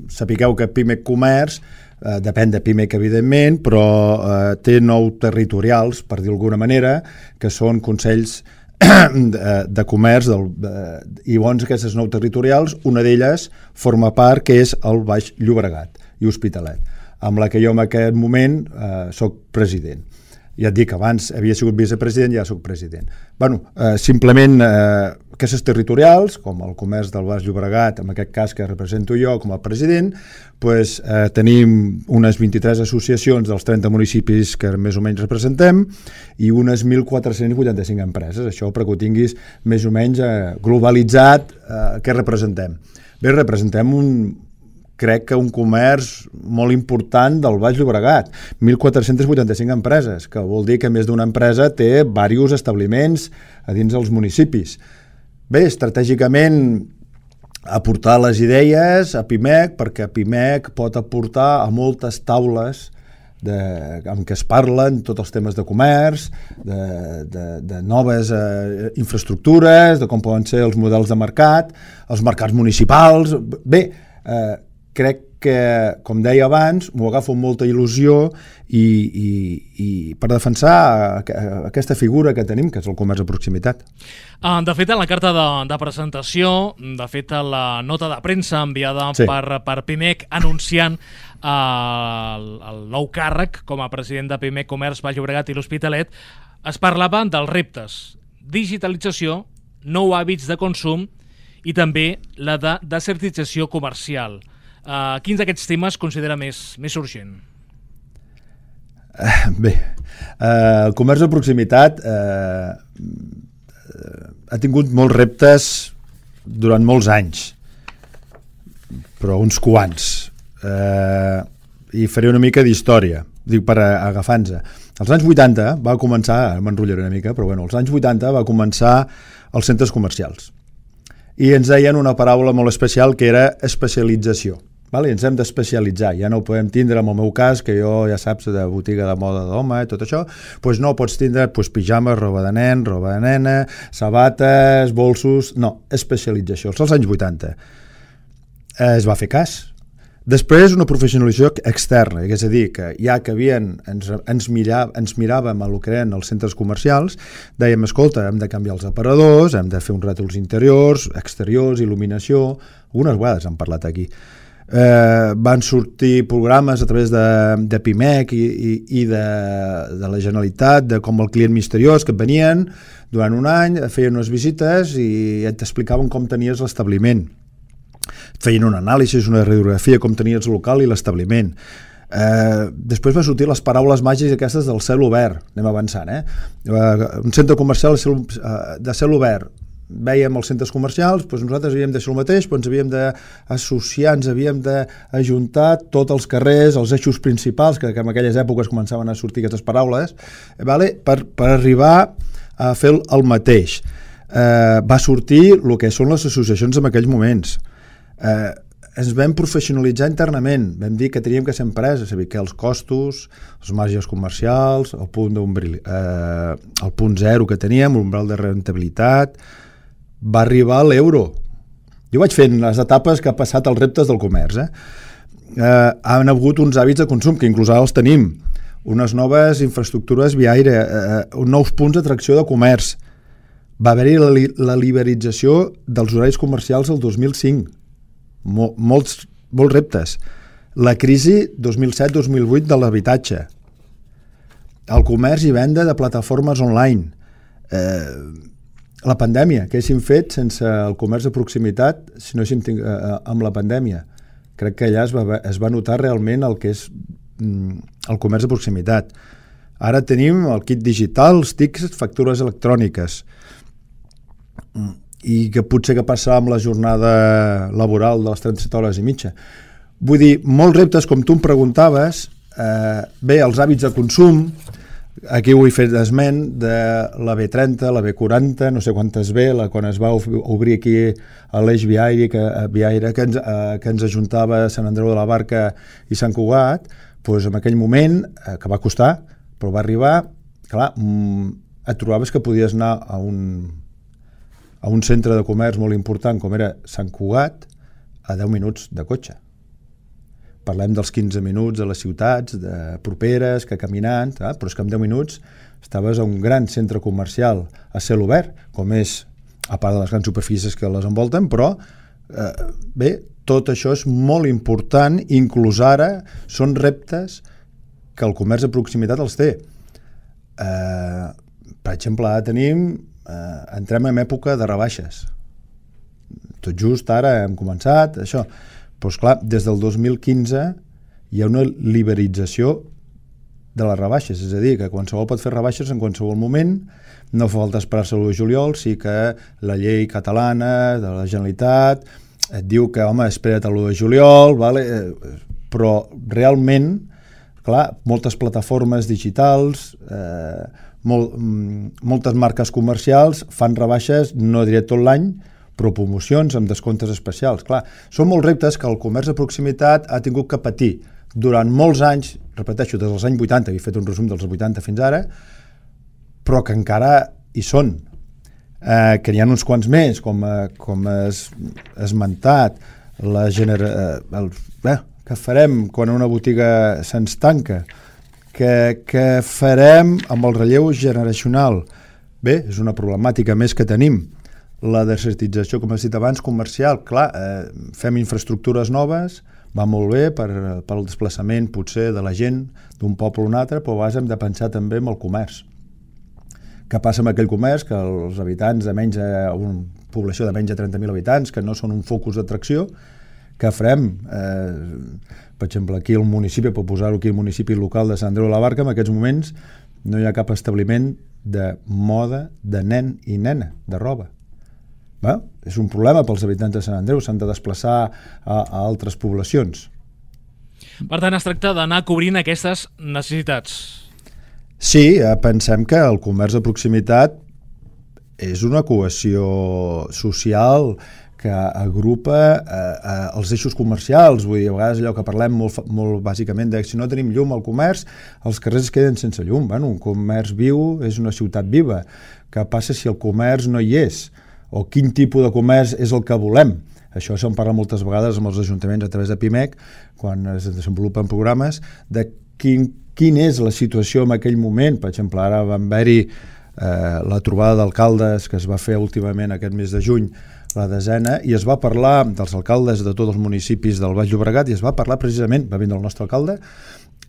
sapigueu que Pimec Comerç, eh, depèn de Pimec evidentment, però eh, té nou territorials, per dir d'alguna manera, que són consells de, de comerç, del, de, i bons aquestes nou territorials, una d'elles forma part que és el Baix Llobregat i Hospitalet, amb la que jo en aquest moment eh, soc president. Ja et dic, abans havia sigut vicepresident, ja soc president. Bueno, eh, simplement eh, aquestes territorials, com el comerç del Baix Llobregat, en aquest cas que represento jo com a president, pues, eh, tenim unes vint-i-tres associacions dels trenta municipis que més o menys representem i unes mil quatre-cents vuitanta-cinc empreses. Això perquè ho tinguis més o menys eh, globalitzat eh, què representem. Bé, representem un... crec que un comerç molt important del Baix Llobregat, mil quatre-cents vuitanta-cinc empreses, que vol dir que més d'una empresa té diversos establiments a dins dels municipis. Bé, estratègicament aportar les idees a Pimec, perquè Pimec pot aportar a moltes taules de, amb què es parlen tots els temes de comerç, de, de, de noves eh, infraestructures, de com poden ser els models de mercat, els mercats municipals. Bé, eh, crec que, com deia abans, m'ho agafo amb molta il·lusió i, i, i per defensar aquesta figura que tenim, que és el comerç de proximitat. De fet, en la carta de, de presentació, de fet, la nota de premsa enviada sí. per, per Pimec anunciant el, el nou càrrec com a president de Pimec Comerç, Baix Llobregat i l'Hospitalet, es parlava dels reptes, digitalització, nous hàbits de consum i també la de desertització comercial. Uh, quins d'aquests temes considera més, més urgent? Uh, bé, uh, el comerç de proximitat uh, ha tingut molts reptes durant molts anys, però uns quants. Uh, I faré una mica d'història, dic per agafar-nos. Als anys vuitanta va començar, m'enrotllaré una mica, però bueno, als anys vuitanta va començar els centres comercials. I ens deien una paraula molt especial que era especialització. Vale? Ens hem d'especialitzar, ja no ho podem tindre en el meu cas, que jo ja saps de botiga de moda d'home i tot això, doncs no pots tindre pues, pijames, roba de nen, roba de nena, sabates, bolsos, no, especialització. Als anys vuitanta eh, es va fer cas. Després una professionalització externa, és a dir, que ja que havien, ens, ens, mirava, ens miràvem a lo que eren els centres comercials, dèiem, escolta, hem de canviar els aparadors, hem de fer uns rètols interiors, exteriors, il·luminació, algunes vegades hem parlat aquí. Eh, van sortir programes a través de, de Pimec i, i, i de, de la Generalitat, de com el client misteriós, que et venien durant un any, feien unes visites i et explicaven com tenies l'establiment. Et feien una anàlisi, una radiografia, com tenies el local i l'establiment. Eh, després van sortir les paraules màgiques aquestes del cel obert, anem avançant, eh? Eh, un centre comercial de cel, de cel obert, vèiem els centres comercials, doncs nosaltres havíem de fer el mateix, doncs ens havíem d'associar, ens havíem d'ajuntar tots els carrers, els eixos principals, que en aquelles èpoques començaven a sortir aquestes paraules, vale? per, per arribar a fer el mateix. Eh, va sortir el que són les associacions en aquells moments. Eh, ens vam professionalitzar internament, vam dir que teníem que ser empreses, és a dir, que els costos, els marges comercials, el punt, eh, el punt zero que teníem, l'umbral de rentabilitat, va arribar a l'euro. Jo vaig fent les etapes que ha passat els reptes del comerç. Eh? Eh, han hagut uns hàbits de consum, que inclús ara els tenim, unes noves infraestructures viaire, eh, nous punts d'atracció de comerç. Va haver-hi la, la liberalització dels horaris comercials el dos mil cinc. Mol, molts, molts reptes. La crisi dos mil set dos mil vuit de l'habitatge. El comerç i venda de plataformes online. Eh, la pandèmia, què haguéssim fet sense el comerç de proximitat si no haguéssim tingut, eh, amb la pandèmia? crec que allà es va, es va notar realment el que és el comerç de proximitat. Ara tenim el kit digital, els tickets, factures electròniques, i que potser que passar amb la jornada laboral de les trenta-set hores i mitja. Vull dir, molts reptes, com tu em preguntaves, eh, bé, els hàbits de consum, aquí ho he fet esment de la B trenta, la B quaranta, no sé quantes B, la, quan es va obrir aquí a l'eix viari que, viaire que ens, eh, que ens ajuntava Sant Andreu de la Barca i Sant Cugat, doncs en aquell moment, eh, que va costar, però va arribar, clar, et trobaves que podies anar a un, a un centre de comerç molt important com era Sant Cugat a deu minuts de cotxe. Parlem dels quinze minuts de les ciutats de properes, que caminant, eh? Però és que en deu minuts estaves a un gran centre comercial a cel obert, com és, a part de les grans superfícies que les envolten, però eh, bé, tot això és molt important, inclús ara són reptes que el comerç de proximitat els té. Eh, per exemple, ara tenim, eh, entrem en època de rebaixes. Tot just ara hem començat, això. Però, esclar, des del dos mil quinze hi ha una liberalització de les rebaixes, és a dir, que qualsevol pot fer rebaixes en qualsevol moment, no fa falta esperar-se l'u de juliol, sí que la llei catalana de la Generalitat et diu que, home, espera't l'u de juliol, vale? Però realment, clar, moltes plataformes digitals, eh, molt, moltes marques comercials fan rebaixes, no diré tot l'any, però promocions amb descomptes especials. Clar, són molts reptes que el comerç de proximitat ha tingut que patir durant molts anys, repeteixo, des dels anys vuitanta, he fet un resum dels vuitanta fins ara, però que encara hi són. Eh, que n'hi ha uns quants més, com, eh, com has esmentat, la genera... Eh, el, eh, que farem quan una botiga se'ns tanca, que, que farem amb el relleu generacional. Bé, és una problemàtica més que tenim. La desertització, com has dit abans, comercial, clar, eh, fem infraestructures noves, va molt bé per, per el desplaçament potser de la gent d'un poble a un altre, però a vegades hem de pensar també en el comerç. Què passa amb aquell comerç? Que els habitants de menys, una població de menys de trenta mil habitants, que no són un focus d'atracció, què farem? Eh, per exemple, aquí al municipi, per posar-ho aquí al municipi local de Sant Andreu de la Barca, en aquests moments no hi ha cap establiment de moda de nen i nena, de roba. Bé, és un problema pels habitants de Sant Andreu, s'han de desplaçar a, a altres poblacions. Per tant, es tracta d'anar cobrint aquestes necessitats. Sí, pensem que el comerç de proximitat és una cohesió social que agrupa eh, eh, els eixos comercials. Vull dir, a vegades allò que parlem molt, molt bàsicament de si no tenim llum al comerç, els carrers es queden sense llum. Bueno, un comerç viu és una ciutat viva. Què passa si el comerç no hi és? O quin tipus de comerç és el que volem? Això se'n parla moltes vegades amb els ajuntaments a través de PIMEC, quan es desenvolupen programes, de quin, quin és la situació en aquell moment. Per exemple, ara va haver-hi eh, la trobada d'alcaldes que es va fer últimament aquest mes de juny, la desena, i es va parlar dels alcaldes de tots els municipis del Baix Llobregat, i es va parlar precisament, va vindre el nostre alcalde,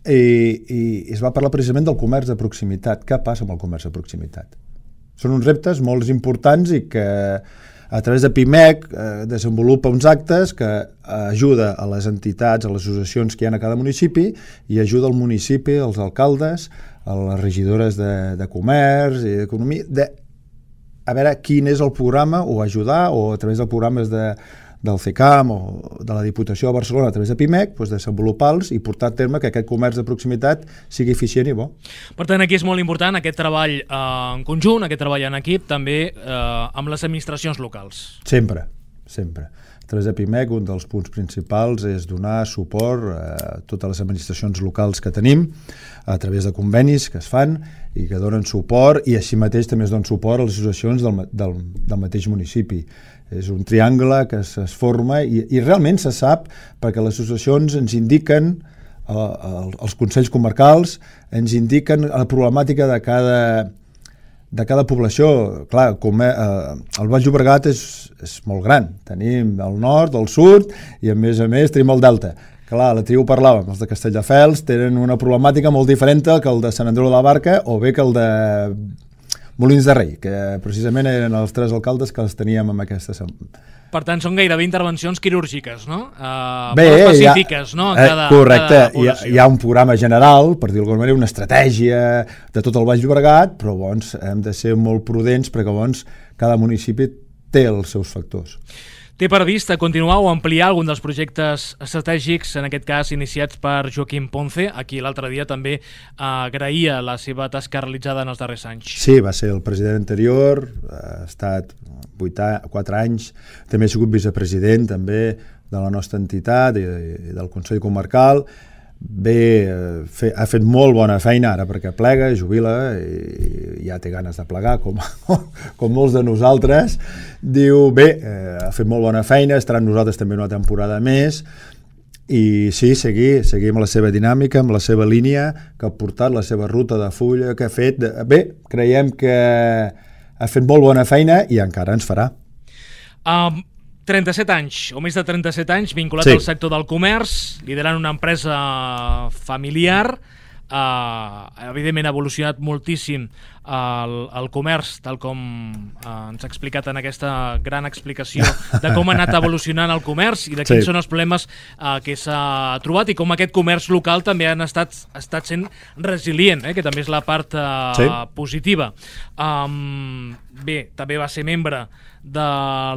i, i es va parlar precisament del comerç de proximitat. Què passa amb el comerç de proximitat? Són uns reptes molt importants i que a través de PIMEC eh, desenvolupa uns actes que ajuda a les entitats, a les associacions que hi ha a cada municipi, i ajuda al municipi, als alcaldes, a les regidores de, de comerç i d'economia, de a veure quin és el programa, o ajudar, o a través dels programes de, del C C A M o de la Diputació de Barcelona a través de PIMEC, doncs desenvolupar-los i portar a terme que aquest comerç de proximitat sigui eficient i bo. Per tant, aquí és molt important aquest treball eh, en conjunt, aquest treball en equip, també eh, amb les administracions locals. Sempre, sempre. A través de PIMEC un dels punts principals és donar suport a totes les administracions locals que tenim a través de convenis que es fan i que donen suport, i així mateix també es donen suport a les associacions del, del, del mateix municipi. És un triangle que es, es forma i, i realment se sap perquè les associacions ens indiquen, eh, els consells comarcals ens indiquen la problemàtica de cada, de cada població. Clar, com, eh, el Baix Llobregat és, és molt gran. Tenim el nord, el sud i a més a més tenim el delta. Clar, la tribu parlàvem, els de Castelldefels tenen una problemàtica molt diferent que el de Sant Andreu de la Barca o bé que el de Molins de Rei, que precisament eren els tres alcaldes que els teníem en aquesta, Per tant, són gairebé intervencions quirúrgiques, no? Uh, Bé, molt específiques, no? Eh, cada, correcte, cada hi, ha, hi ha un programa general, per dir-ho d'alguna manera, una estratègia de tot el Baix Llobregat, però doncs, hem de ser molt prudents perquè doncs, cada municipi té els seus factors. Té previst a continuar o ampliar algun dels projectes estratègics, en aquest cas iniciats per Joaquim Ponce, a qui l'altre dia també agraïa la seva tasca realitzada en els darrers anys. Sí, va ser el president anterior, ha estat quatre anys, també ha sigut vicepresident també de la nostra entitat i del Consell Comarcal. Bé, fe, ha fet molt bona feina ara perquè plega, jubila i ja té ganes de plegar com, com molts de nosaltres. Diu, bé, eh, ha fet molt bona feina, estarà amb nosaltres també una temporada més i sí, seguir, seguir amb la seva dinàmica, amb la seva línia que ha portat, la seva ruta de fulla que ha fet. Bé, creiem que ha fet molt bona feina i encara ens farà. Um... trenta-set anys, o més de trenta-set anys, vinculat sí. al sector del comerç, liderant una empresa familiar. Uh, evidentment ha evolucionat moltíssim el, el comerç, tal com uh, ens ha explicat en aquesta gran explicació de com ha anat evolucionant el comerç i de quins sí. són els problemes uh, que s'ha trobat i com aquest comerç local també han estat, estat sent resilient, eh, que també és la part uh, sí. positiva. Um, bé, també va ser membre de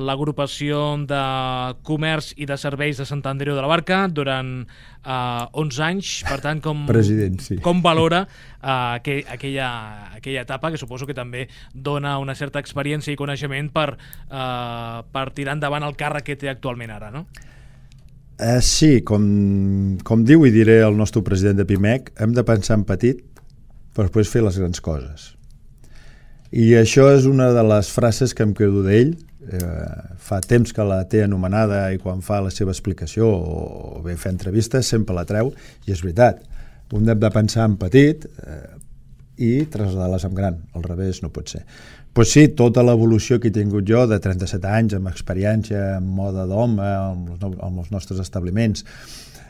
l'agrupació de comerç i de serveis de Sant Andreu de la Barca durant uh, onze anys, per tant, com, President, sí. com valora uh, aquell, aquella, aquella etapa, que suposo que també dona una certa experiència i coneixement per, uh, per tirar endavant el càrrec que té actualment ara, no? Uh, sí, com, com diu i diré el nostre president de Pimec, hem de pensar en petit per després fer les grans coses. I això és una de les frases que em quedo d'ell. Eh, fa temps que la té anomenada i quan fa la seva explicació o bé fer entrevistes sempre la treu i és veritat. Un hem de pensar en petit eh, i traslladar-les en gran. Al revés no pot ser. Pues sí, tota l'evolució que he tingut jo de trenta-set anys amb experiència en moda d'home amb, amb els nostres establiments.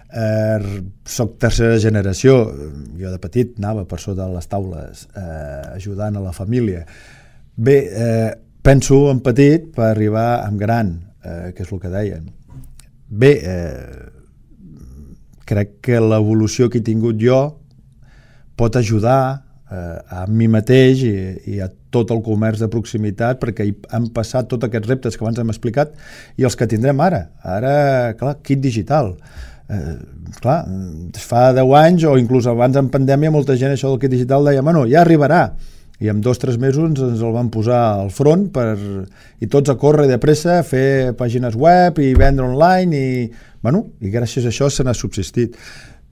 Eh, soc tercera generació, jo de petit anava per sota de les taules eh, ajudant a la família. Bé, eh, penso en petit per arribar en gran, eh, que és el que deien. Bé, eh, crec que l'evolució que he tingut jo pot ajudar eh, a mi mateix i, i a tot el comerç de proximitat perquè han passat tots aquests reptes que abans hem explicat i els que tindrem ara. Ara, clar, kit digital. Eh, clar, fa deu anys o inclús abans en pandèmia molta gent això del kit digital deia, bueno, ja arribarà i en dos o tres mesos ens el van posar al front per, i tots a córrer de pressa a fer pàgines web i vendre online i, bueno, i gràcies a això se n'ha subsistit.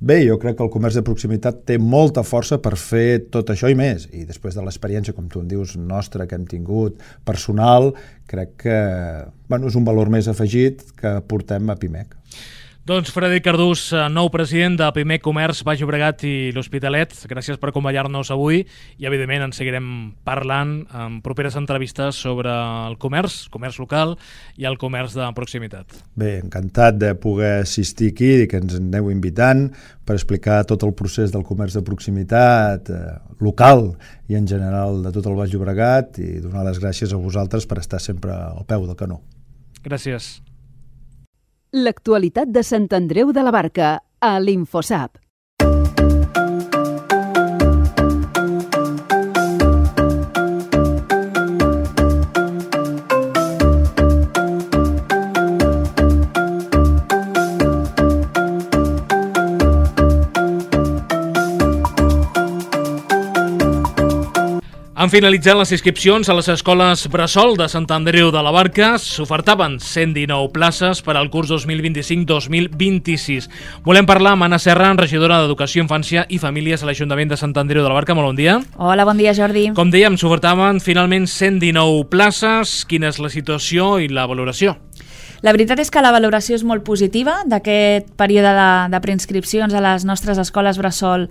Bé, jo crec que el comerç de proximitat té molta força per fer tot això i més i després de l'experiència, com tu en dius, nostra que hem tingut, personal, crec que bueno, és un valor més afegit que portem a Pimec. Doncs Frederic Cardús, nou president de Pimec Comerç, Baix Llobregat i l'Hospitalet, gràcies per acompanyar-nos avui i evidentment en seguirem parlant en properes entrevistes sobre el comerç, comerç local i el comerç de proximitat. Bé, encantat de poder assistir aquí i que ens aneu invitant per explicar tot el procés del comerç de proximitat eh, local i en general de tot el Baix Llobregat i donar les gràcies a vosaltres per estar sempre al peu del canó. Gràcies. L'actualitat de Sant Andreu de la Barca, a l'Infosap. Han finalitzat les inscripcions a les escoles Bressol de Sant Andreu de la Barca. S'ofertaven cent dinou places per al curs dos mil vint-i-cinc dos mil vint-i-sis. Volem parlar amb Anna Serra, regidora d'Educació, Infància i Famílies a l'Ajuntament de Sant Andreu de la Barca. Molt bon dia. Hola, bon dia, Jordi. Com dèiem, s'ofertaven finalment cent dinou places. Quina és la situació i la valoració? La veritat és que la valoració és molt positiva d'aquest període de, de preinscripcions a les nostres escoles bressol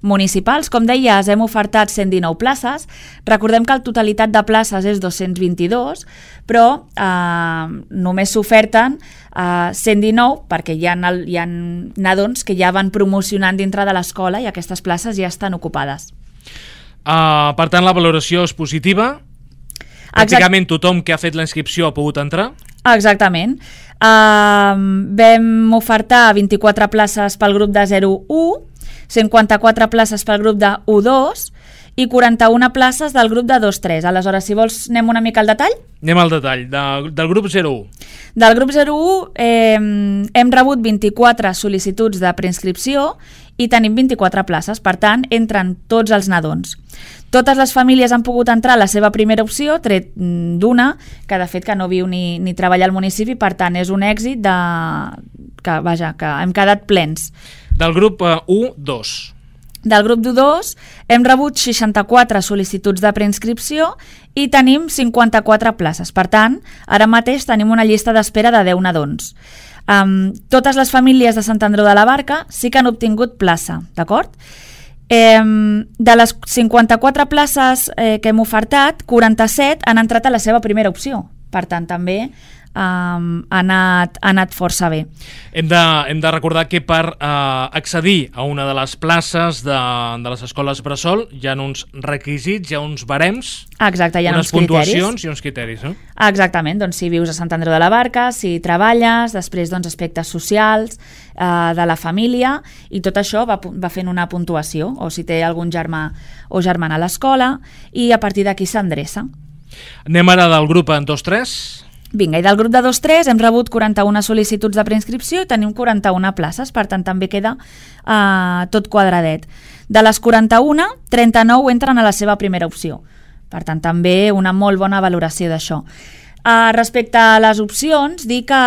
municipals. Com deies, hem ofertat cent dinou places. Recordem que la totalitat de places és dos-cents vint-i-dos, però eh, només s'oferten eh, cent dinou perquè hi ha, hi ha nadons que ja van promocionant dintre de l'escola i aquestes places ja estan ocupades. Uh, per tant, la valoració és positiva? Pràcticament tothom que ha fet la inscripció ha pogut entrar? Exactament. Uh, vam ofertar vint-i-quatre places pel grup de zero u, cinquanta-quatre places pel grup de u dos i quaranta-una places del grup de dos tres. Aleshores, si vols, anem una mica al detall? Anem al detall. De, del grup zero u. Del grup zero u eh, hem rebut vint-i-quatre sol·licituds de preinscripció i tenim vint-i-quatre places. Per tant, entren tots els nadons. Totes les famílies han pogut entrar a la seva primera opció, tret d'una, que de fet que no viu ni, ni treballa al municipi, per tant és un èxit de... que, vaja, que hem quedat plens. Del grup uh, u dos. Del grup d'u dos hem rebut seixanta-quatre sol·licituds de preinscripció i tenim cinquanta-quatre places. Per tant, ara mateix tenim una llista d'espera de deu nadons. Um, totes les famílies de Sant Andreu de la Barca sí que han obtingut plaça, d'acord? Eh, de les cinquanta-quatre places eh, que hem ofertat, quaranta-set han entrat a la seva primera opció. Per tant, també Um, ha, anat, ha anat força bé. Hem de, hem de recordar que per uh, accedir a una de les places de, de les escoles bressol hi ha uns requisits, hi ha uns barems, exacte, hi ha unes uns puntuacions criteris. I uns criteris. No? Exactament, doncs si vius a Sant Andreu de la Barca, si treballes, després doncs, aspectes socials uh, de la família, i tot això va, va fent una puntuació, o si té algun germà o germana a l'escola, i a partir d'aquí s'endreça. Anem ara del grup en dos tres. Vinga, i del grup de dos tres hem rebut quaranta-una sol·licituds de preinscripció i tenim quaranta-una places, per tant també queda uh, tot quadradet. De les quaranta-una, trenta-nou entren a la seva primera opció, per tant també una molt bona valoració d'això. Uh, respecte a les opcions, dir que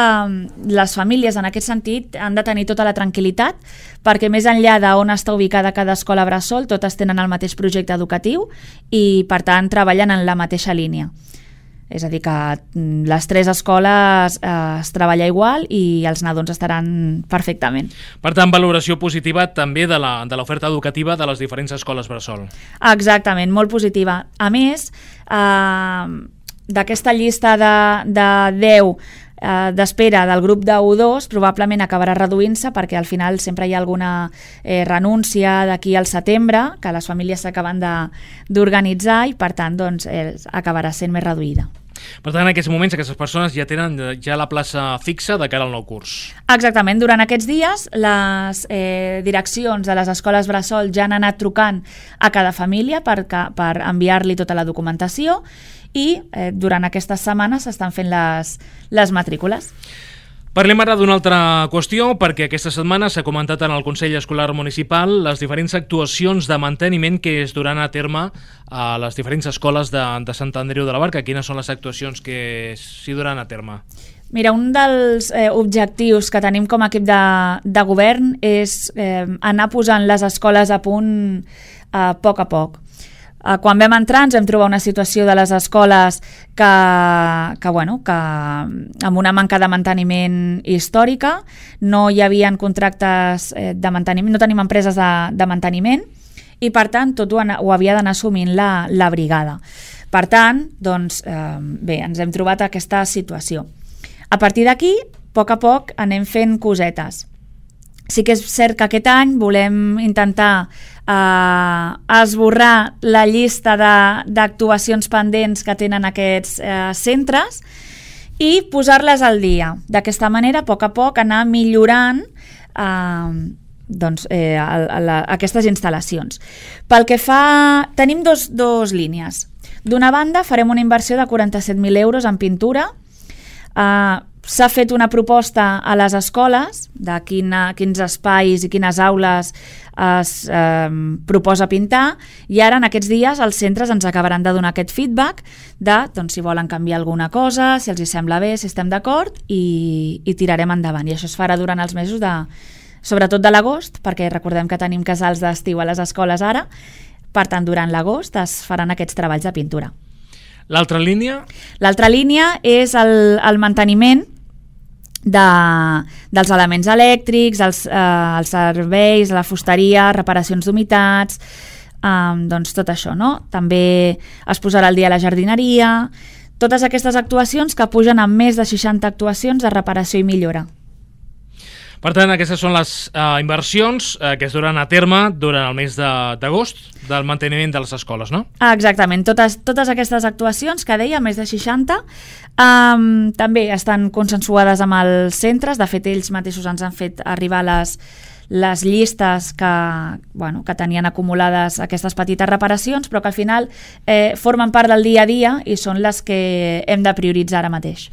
les famílies en aquest sentit han de tenir tota la tranquil·litat, perquè més enllà d'on està ubicada cada escola bressol, totes tenen el mateix projecte educatiu i per tant treballen en la mateixa línia. És a dir, que les tres escoles eh, es treballa igual i els nadons estaran perfectament. Per tant, valoració positiva també de la, de l'oferta educativa de les diferents escoles bressol. Exactament, molt positiva. A més, eh, d'aquesta llista de, de deu eh, d'espera del grup de u dos probablement acabarà reduint-se, perquè al final sempre hi ha alguna eh, renúncia d'aquí al setembre, que les famílies s'acaben d'organitzar i per tant doncs, eh, acabarà sent més reduïda. Per tant, en aquests moments aquestes persones ja tenen ja la plaça fixa de cara al nou curs. Exactament, durant aquests dies les eh, direccions de les escoles bressol ja han anat trucant a cada família per, per enviar-li tota la documentació i eh, durant aquestes setmanes s'estan fent les, les matrícules. Parlem ara d'una altra qüestió, perquè aquesta setmana s'ha comentat en el Consell Escolar Municipal les diferents actuacions de manteniment que es duran a terme a les diferents escoles de, de Sant Andreu de la Barca. Quines són les actuacions que s'hi duran a terme? Mira, un dels eh, objectius que tenim com a equip de, de govern és eh, anar posant les escoles a punt eh, a poc a poc. Quan vam entrar ens vam trobar una situació de les escoles que, que, bueno, que amb una manca de manteniment històrica, no hi havia contractes de manteniment, no tenim empreses de, de manteniment i per tant tot ho, ho havia d'anar assumint la, la brigada. Per tant, doncs, eh, bé, ens hem trobat aquesta situació. A partir d'aquí, a poc a poc anem fent cosetes. Sí que és cert que aquest any volem intentar eh, esborrar la llista d'actuacions pendents que tenen aquests eh, centres i posar-les al dia. D'aquesta manera, a poc a poc, anar millorant eh, doncs, eh, a, a la, aquestes instal·lacions. Pel que fa... Tenim dos, dos línies. D'una banda, farem una inversió de quaranta-set mil euros en pintura. Eh, S'ha fet una proposta a les escoles de quina, quins espais i quines aules es eh, proposa pintar i ara en aquests dies els centres ens acabaran de donar aquest feedback de doncs, si volen canviar alguna cosa, si els hi sembla bé, si estem d'acord i, i tirarem endavant. I això es farà durant els mesos de, sobretot de l'agost, perquè recordem que tenim casals d'estiu a les escoles ara, per tant durant l'agost es faran aquests treballs de pintura. L'altra línia? L'altra línia és el, el manteniment De, dels elements elèctrics, els, eh, els serveis, la fusteria, reparacions d'humitats, eh, doncs tot això, no? També es posarà al dia la jardineria, totes aquestes actuacions que pugen amb més de seixanta actuacions de reparació i millora. Per tant, aquestes són les uh, inversions uh, que es duran a terme durant el mes d'agost. del manteniment de les escoles, no? Ah, exactament, totes, totes aquestes actuacions que deia, més de seixanta, um, també estan consensuades amb els centres. De fet, ells mateixos ens han fet arribar les, les llistes que, bueno, que tenien acumulades aquestes petites reparacions, però que al final eh, formen part del dia a dia i són les que hem de prioritzar ara mateix.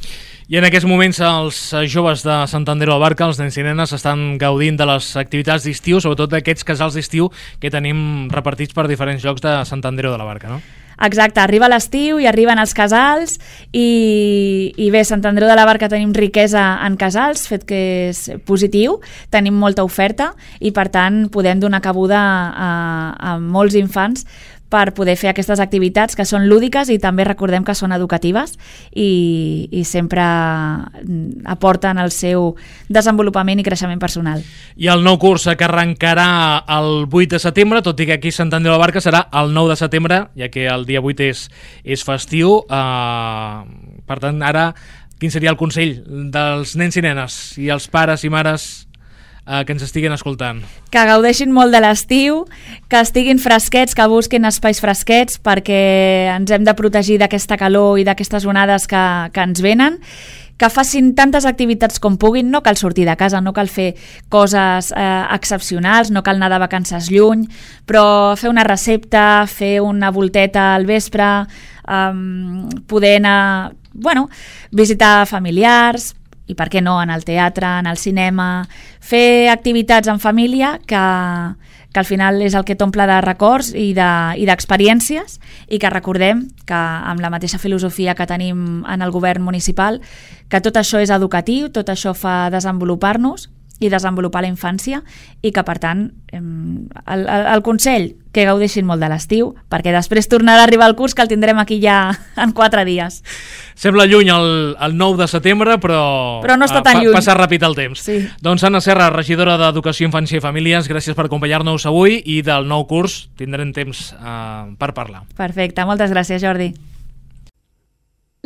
I en aquests moments els joves de Sant Andreu de la Barca, els nens i nenes, estan gaudint de les activitats d'estiu, sobretot d'aquests casals d'estiu que tenim repartits per diferents llocs de Sant Andreu de la Barca, no? Exacte, arriba l'estiu i arriben els casals i, i bé, Sant Andreu de la Barca tenim riquesa en casals, fet que és positiu, tenim molta oferta i per tant podem donar cabuda a, a molts infants per poder fer aquestes activitats que són lúdiques i també recordem que són educatives i, i sempre aporten el seu desenvolupament i creixement personal. I el nou curs que arrencarà el vuit de setembre, tot i que aquí a Sant Andreu de la Barca serà el nou de setembre, ja que el dia vuit és, és festiu. Uh, per tant, ara, quin seria el consell dels nens i nenes i els pares i mares Uh, que ens estiguin escoltant? Que gaudeixin molt de l'estiu, que estiguin fresquets, que busquin espais fresquets perquè ens hem de protegir d'aquesta calor i d'aquestes onades que, que ens venen, que facin tantes activitats com puguin, no cal sortir de casa, no cal fer coses eh, excepcionals, no cal anar de vacances lluny, però fer una recepta, fer una volteta al vespre, um, poder anar, bueno, visitar familiars, i per què no, en el teatre, en el cinema, fer activitats en família que, que al final és el que t'omple de records i d'experiències de, i que recordem que amb la mateixa filosofia que tenim en el govern municipal, que tot això és educatiu, tot això fa desenvolupar-nos i desenvolupar la infància i que per tant el, el, el consell que gaudeixin molt de l'estiu perquè després tornarà a arribar el curs que el tindrem aquí ja en quatre dies. Sembla lluny el, el nou de setembre però, però no està tan lluny. Passa ràpid el temps. Sí. Doncs Anna Serra, regidora d'Educació, Infància i Famílies, gràcies per acompanyar-nos avui i del nou curs tindrem temps uh, per parlar. Perfecte, moltes gràcies Jordi.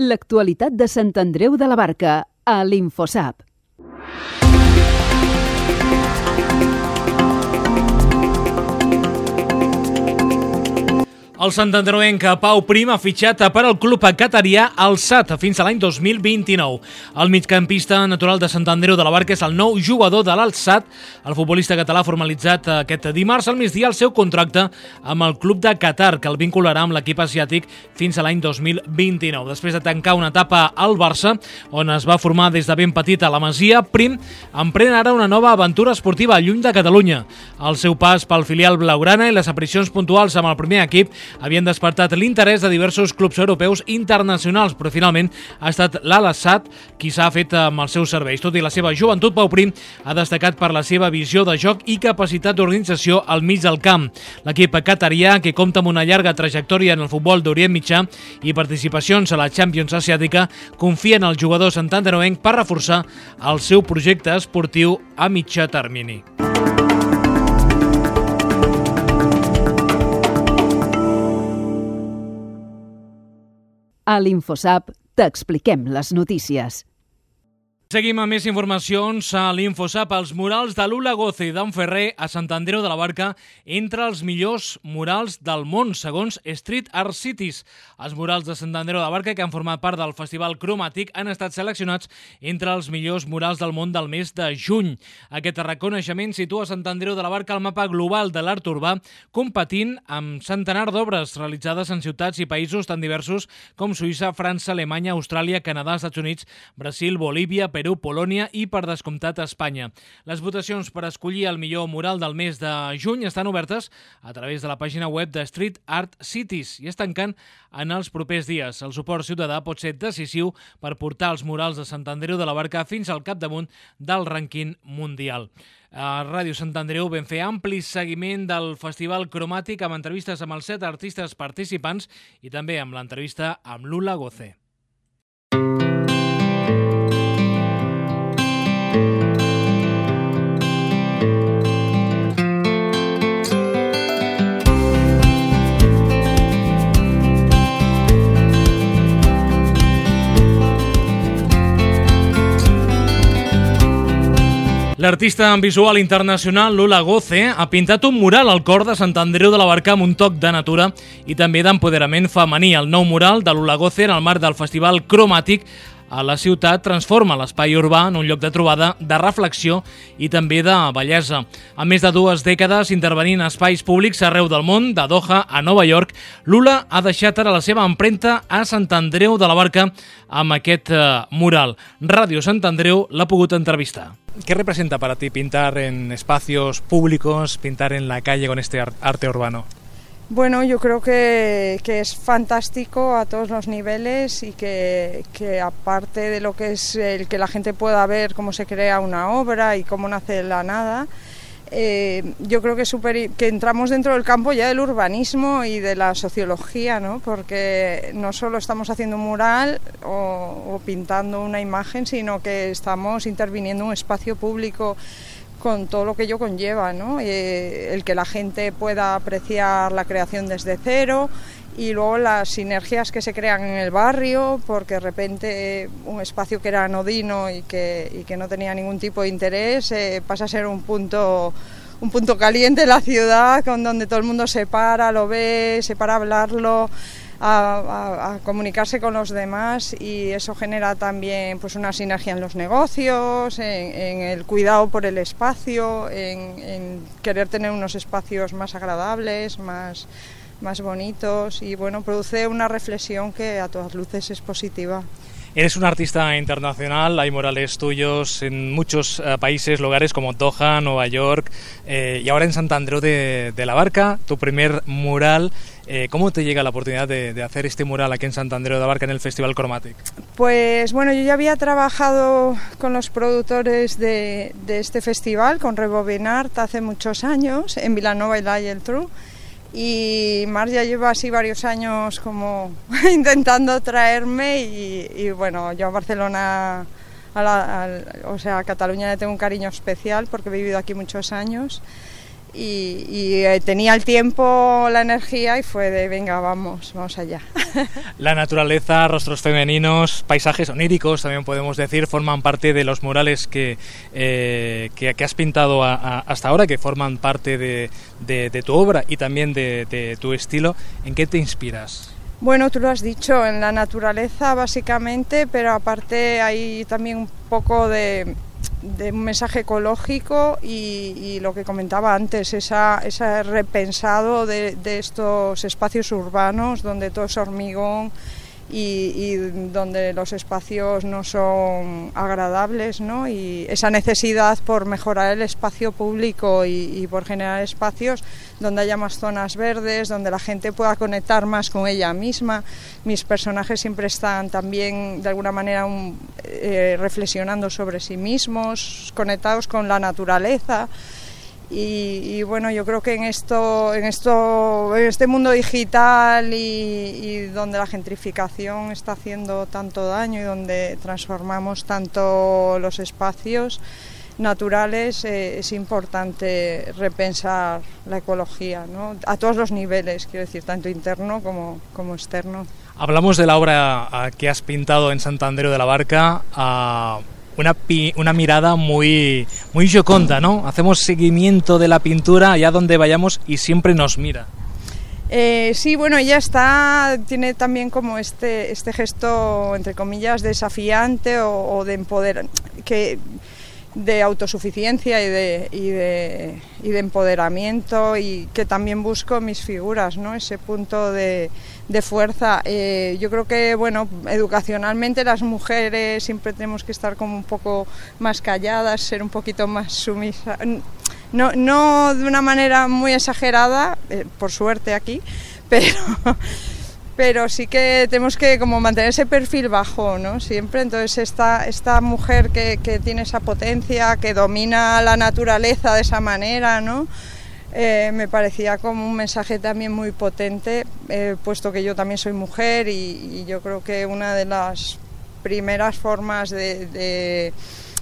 L'actualitat de Sant Andreu de la Barca a l'Infosap. El santandreuenc Pau Prim ha fitxat per al club catarià Al Sadd fins a l'any dos mil vint-i-nou. El migcampista natural de Sant Andreu de la Barca és el nou jugador de l'Al Sadd. El futbolista català ha formalitzat aquest dimarts al migdia el seu contracte amb el club de Qatar, que el vincularà amb l'equip asiàtic fins a l'any dos mil vint-i-nou. Després de tancar una etapa al Barça, on es va formar des de ben petit a la Masia, Prim emprèn ara una nova aventura esportiva lluny de Catalunya. El seu pas pel filial blaugrana i les aparicions puntuals amb el primer equip havien despertat l'interès de diversos clubs europeus internacionals, però finalment ha estat l'Al Sadd qui s'ha fet amb els seus serveis. Tot i la seva joventut, Pau Prim ha destacat per la seva visió de joc i capacitat d'organització al mig del camp. L'equip catarià, que compta amb una llarga trajectòria en el futbol d'Orient Mitjà i participacions a la Champions asiàtica, confia en el jugador santandreuenc per reforçar el seu projecte esportiu a mitjà termini. A l'Infosap t'expliquem les notícies. Seguim amb més informacions a l'Infosap. Els murals de Lula Goce i d'en Ferrer a Sant Andreu de la Barca entre els millors murals del món, segons Street Art Cities. Els murals de Sant Andreu de la Barca, que han format part del Festival Cromàtic, han estat seleccionats entre els millors murals del món del mes de juny. Aquest reconeixement situa Sant Andreu de la Barca al mapa global de l'art urbà, competint amb centenar d'obres realitzades en ciutats i països tan diversos com Suïssa, França, Alemanya, Austràlia, Canadà, Estats Units, Brasil, Bolívia, Perú, Polònia i, per descomptat, Espanya. Les votacions per escollir el millor mural del mes de juny estan obertes a través de la pàgina web de Street Art Cities i es tanquen en els propers dies. El suport ciutadà pot ser decisiu per portar els murals de Sant Andreu de la Barca fins al capdamunt del rànquing mundial. A Ràdio Sant Andreu vam fer ampli seguiment del Festival Cromàtic amb entrevistes amb els set artistes participants i també amb l'entrevista amb Lula Goce. L'artista visual internacional Lula Goce ha pintat un mural al cor de Sant Andreu de la Barca amb un toc de natura i també d'empoderament femení. El nou mural de Lula Goce en el marc del Festival Cromàtic a la ciutat transforma l'espai urbà en un lloc de trobada, de reflexió i també de bellesa. A més de dues dècades intervenint a espais públics arreu del món, de Doha a Nova York, Lula ha deixat ara la seva empremta a Sant Andreu de la Barca amb aquest eh, mural. Ràdio Sant Andreu l'ha pogut entrevistar. ¿Qué representa para ti pintar en espacios públicos, pintar en la calle con este arte urbano? Bueno, yo creo que, que es fantástico a todos los niveles y que, que aparte de lo que es el que la gente pueda ver cómo se crea una obra y cómo nace de la nada, eh, yo creo que, super, que entramos dentro del campo ya del urbanismo y de la sociología, ¿no? Porque no solo estamos haciendo un mural o, o pintando una imagen, sino que estamos interviniendo en un espacio público con todo lo que ello conlleva, ¿no? Eh, el que la gente pueda apreciar la creación desde cero y luego las sinergias que se crean en el barrio, porque de repente eh, un espacio que era anodino y que, y que no tenía ningún tipo de interés eh, pasa a ser un punto, un punto caliente en la ciudad, con donde todo el mundo se para, lo ve, se para a hablarlo, A, a, a comunicarse con los demás, y eso genera también pues una sinergia en los negocios, en, en el cuidado por el espacio, en, en querer tener unos espacios más agradables, más, más bonitos, y bueno, produce una reflexión que a todas luces es positiva. Eres un artista internacional, hay murales tuyos en muchos eh, países, lugares como Doha, Nueva York eh, y ahora en Sant Andreu de, de la Barca, tu primer mural. Eh, ¿Cómo te llega la oportunidad de, de hacer este mural aquí en Sant Andreu de la Barca en el Festival Cromàtic? Pues bueno, yo ya había trabajado con los productores de, de este festival, con Rebobinart, hace muchos años, en Vilanova y la Geltrú. Y Mar ya lleva así varios años como intentando traerme y, y bueno, yo a Barcelona, a la, a, o sea, a Cataluña le tengo un cariño especial porque he vivido aquí muchos años y, y eh, tenía el tiempo, la energía y fue de venga, vamos, vamos allá. La naturaleza, rostros femeninos, paisajes oníricos, también podemos decir, forman parte de los murales que, eh, que, que has pintado a, a, hasta ahora, que forman parte de, de, de tu obra y también de, de tu estilo. ¿En qué te inspiras? Bueno, tú lo has dicho, en la naturaleza básicamente, pero aparte hay también un poco de, de un mensaje ecológico y, y lo que comentaba antes, esa, ese repensado de, de estos espacios urbanos donde todo es hormigón y, y donde los espacios no son agradables, ¿no? Y esa necesidad por mejorar el espacio público y, y por generar espacios donde haya más zonas verdes, donde la gente pueda conectar más con ella misma. Mis personajes siempre están también de alguna manera un, eh, reflexionando sobre sí mismos, conectados con la naturaleza. Y, y bueno, yo creo que en esto, en esto, en este mundo digital y, y donde la gentrificación está haciendo tanto daño y donde transformamos tanto los espacios naturales, eh, es importante repensar la ecología, ¿no? A todos los niveles, quiero decir, tanto interno como, como externo. Hablamos de la obra que has pintado en Sant Andreu de la Barca, uh, una, pi una mirada muy, muy joconda, ¿no? Hacemos seguimiento de la pintura allá donde vayamos y siempre nos mira. Eh, sí, bueno, ella está, tiene también como este, este gesto, entre comillas, desafiante o, o de empoderar, que de autosuficiencia y de, y, de, y de empoderamiento, y que también busco en mis figuras, ¿no? Ese punto de, de fuerza. Eh, yo creo que, bueno, educacionalmente las mujeres siempre tenemos que estar como un poco más calladas, ser un poquito más sumisas, no, no de una manera muy exagerada, eh, por suerte aquí, pero... pero sí que tenemos que como mantener ese perfil bajo, ¿no? Siempre. Entonces esta, esta mujer que, que tiene esa potencia, que domina la naturaleza de esa manera, ¿no? Eh, me parecía como un mensaje también muy potente, eh, puesto que yo también soy mujer y, y yo creo que una de las primeras formas de, de,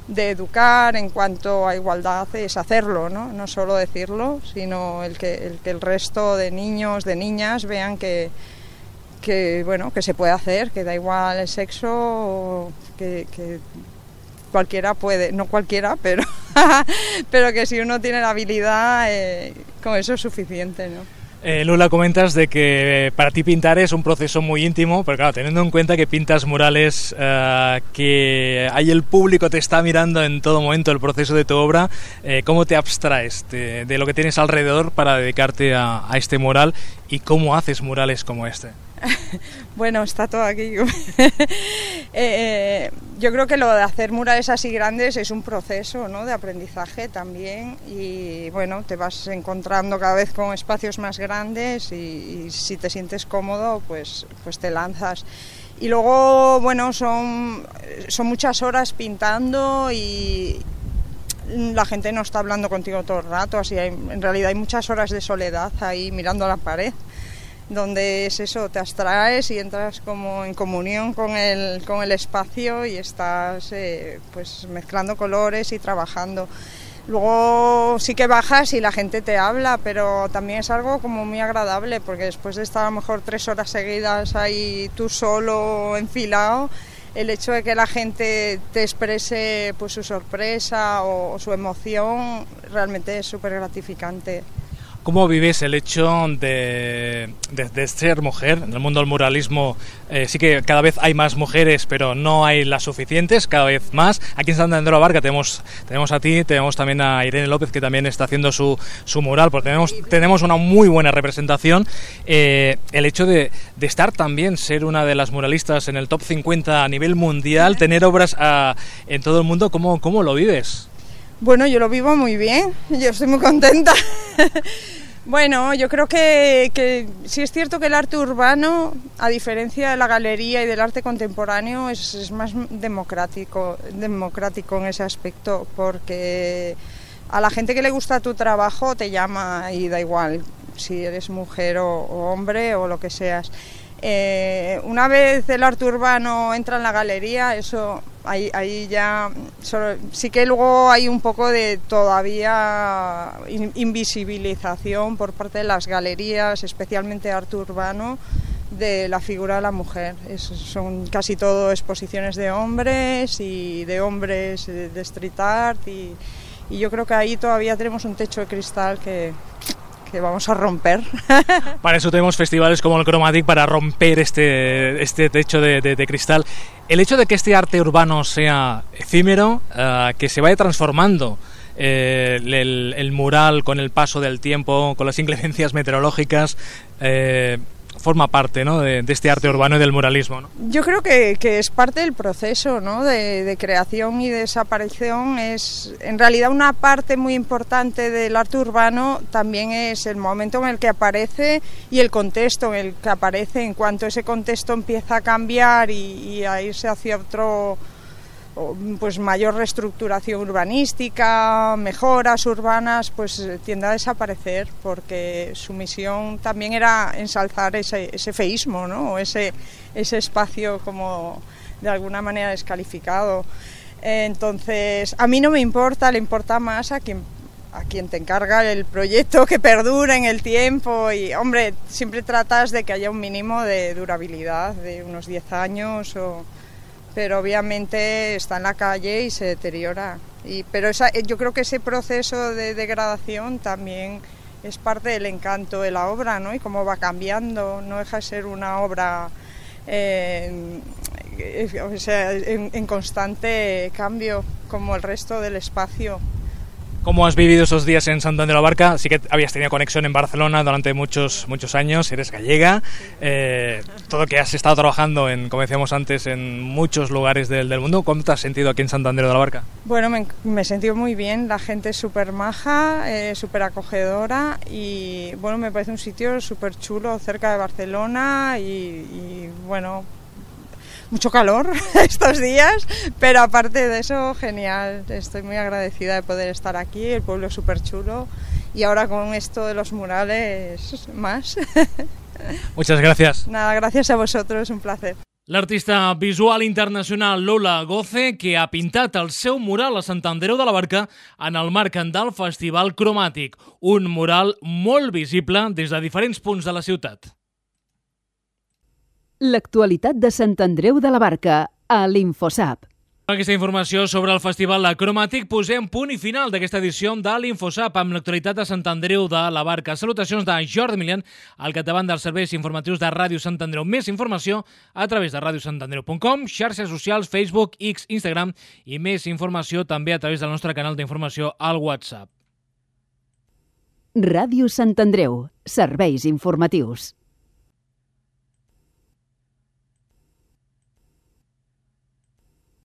de educar en cuanto a igualdad es hacerlo, ¿no? No solo decirlo, sino el que el, que el resto de niños, de niñas vean que que bueno, que se puede hacer, que da igual el sexo, que, que cualquiera puede, no cualquiera, pero pero que si uno tiene la habilidad, eh, con eso es suficiente, ¿no? Eh, Lula, comentas de que para ti pintar es un proceso muy íntimo, pero claro, teniendo en cuenta que pintas murales, eh, que ahí el público te está mirando en todo momento el proceso de tu obra, eh, ¿cómo te abstraes de, de lo que tienes alrededor para dedicarte a, a este mural y cómo haces murales como este? Bueno, está todo aquí. eh, yo creo que lo de hacer murales así grandes es un proceso, ¿no?, de aprendizaje también, y bueno, te vas encontrando cada vez con espacios más grandes y, y si te sientes cómodo, pues, pues te lanzas. Y luego, bueno, son, son muchas horas pintando y la gente no está hablando contigo todo el rato, así hay, en realidad hay muchas horas de soledad ahí mirando a la pared, donde es eso, te abstraes y entras como en comunión con el, con el espacio y estás eh, pues mezclando colores y trabajando. Luego sí que bajas y la gente te habla, pero también es algo como muy agradable, porque después de estar a lo mejor tres horas seguidas ahí tú solo enfilado, el hecho de que la gente te exprese pues su sorpresa o, o su emoción realmente es súper gratificante. ¿Cómo vives el hecho de, de, de ser mujer? En el mundo del muralismo eh, sí que cada vez hay más mujeres, pero no hay las suficientes, cada vez más. Aquí en Sant Andreu de la Barca tenemos, tenemos a ti, tenemos también a Irene López, que también está haciendo su, su mural, porque tenemos, tenemos una muy buena representación. Eh, el hecho de, de estar también, ser una de las muralistas en el top cincuenta a nivel mundial, tener obras a, en todo el mundo, ¿cómo, cómo lo vives? Bueno, yo lo vivo muy bien, yo estoy muy contenta. Bueno, yo creo que, que sí es cierto que el arte urbano, a diferencia de la galería y del arte contemporáneo, es, es más democrático, democrático en ese aspecto, porque a la gente que le gusta tu trabajo te llama y da igual si eres mujer o, o hombre o lo que seas. Eh, una vez el arte urbano entra en la galería, eso ahí, ahí ya solo, sí que luego hay un poco de todavía in, invisibilización por parte de las galerías, especialmente arte urbano, de la figura de la mujer. Es, son casi todo exposiciones de hombres y de hombres de street art y, y yo creo que ahí todavía tenemos un techo de cristal que... que vamos a romper. Para eso tenemos festivales como el Chromatic, para romper este, este techo de, de, de cristal. El hecho de que este arte urbano sea efímero, uh, que se vaya transformando eh, el, el mural con el paso del tiempo, con las inclemencias meteorológicas, eh, forma parte, ¿no?, de, de este arte urbano y del muralismo, ¿no? Yo creo que, que es parte del proceso, ¿no?, de, de creación y desaparición. Es en realidad una parte muy importante del arte urbano, también es el momento en el que aparece y el contexto en el que aparece. En cuanto ese contexto empieza a cambiar y, y a irse hacia otro, pues mayor reestructuración urbanística, mejoras urbanas, pues tiende a desaparecer, porque su misión también era ensalzar ese, ese feísmo, ¿no?, o ese, ese espacio como de alguna manera descalificado. Entonces, a mí no me importa, le importa más a quien, a quien te encarga el proyecto que perdure en el tiempo y, hombre, siempre tratas de que haya un mínimo de durabilidad, de unos diez años o... pero obviamente está en la calle y se deteriora. Y, pero esa, yo creo que ese proceso de degradación también es parte del encanto de la obra, ¿no?, y cómo va cambiando, no deja de ser una obra eh, o sea, en, en constante cambio, como el resto del espacio. ¿Cómo has vivido esos días en Sant Andreu de la Barca? Sí que habías tenido conexión en Barcelona durante muchos muchos años, eres gallega, eh, todo que has estado trabajando, en, como decíamos antes, en muchos lugares del, del mundo. ¿Cómo te has sentido aquí en Sant Andreu de la Barca? Bueno, me, me he sentido muy bien, la gente es súper maja, eh, súper acogedora y bueno, me parece un sitio súper chulo cerca de Barcelona y, y bueno... mucho calor estos días, pero aparte de eso, genial. Estoy muy agradecida de poder estar aquí, el pueblo es súper chulo y ahora con esto de los murales más. Muchas gracias. Nada, gracias a vosotros, un placer. L'artista visual internacional Lola Goce, que ha pintat el seu mural a Sant Andreu de la Barca en el marc del Festival Cromàtic, un mural molt visible des de diferents punts de la ciutat. L'actualitat de Sant Andreu de la Barca a l'Infosap. Amb aquesta informació sobre el Festival Cromàtic posem punt i final d'aquesta edició de l'Infosap amb l'actualitat de Sant Andreu de la Barca. Salutacions de Jordi Milian, al capdavant dels serveis informatius de Ràdio Sant Andreu. Més informació a través de radio sant andreu punt com, xarxes socials, Facebook, X, Instagram i més informació també a través del nostre canal d'informació al WhatsApp. Ràdio Sant Andreu, serveis informatius.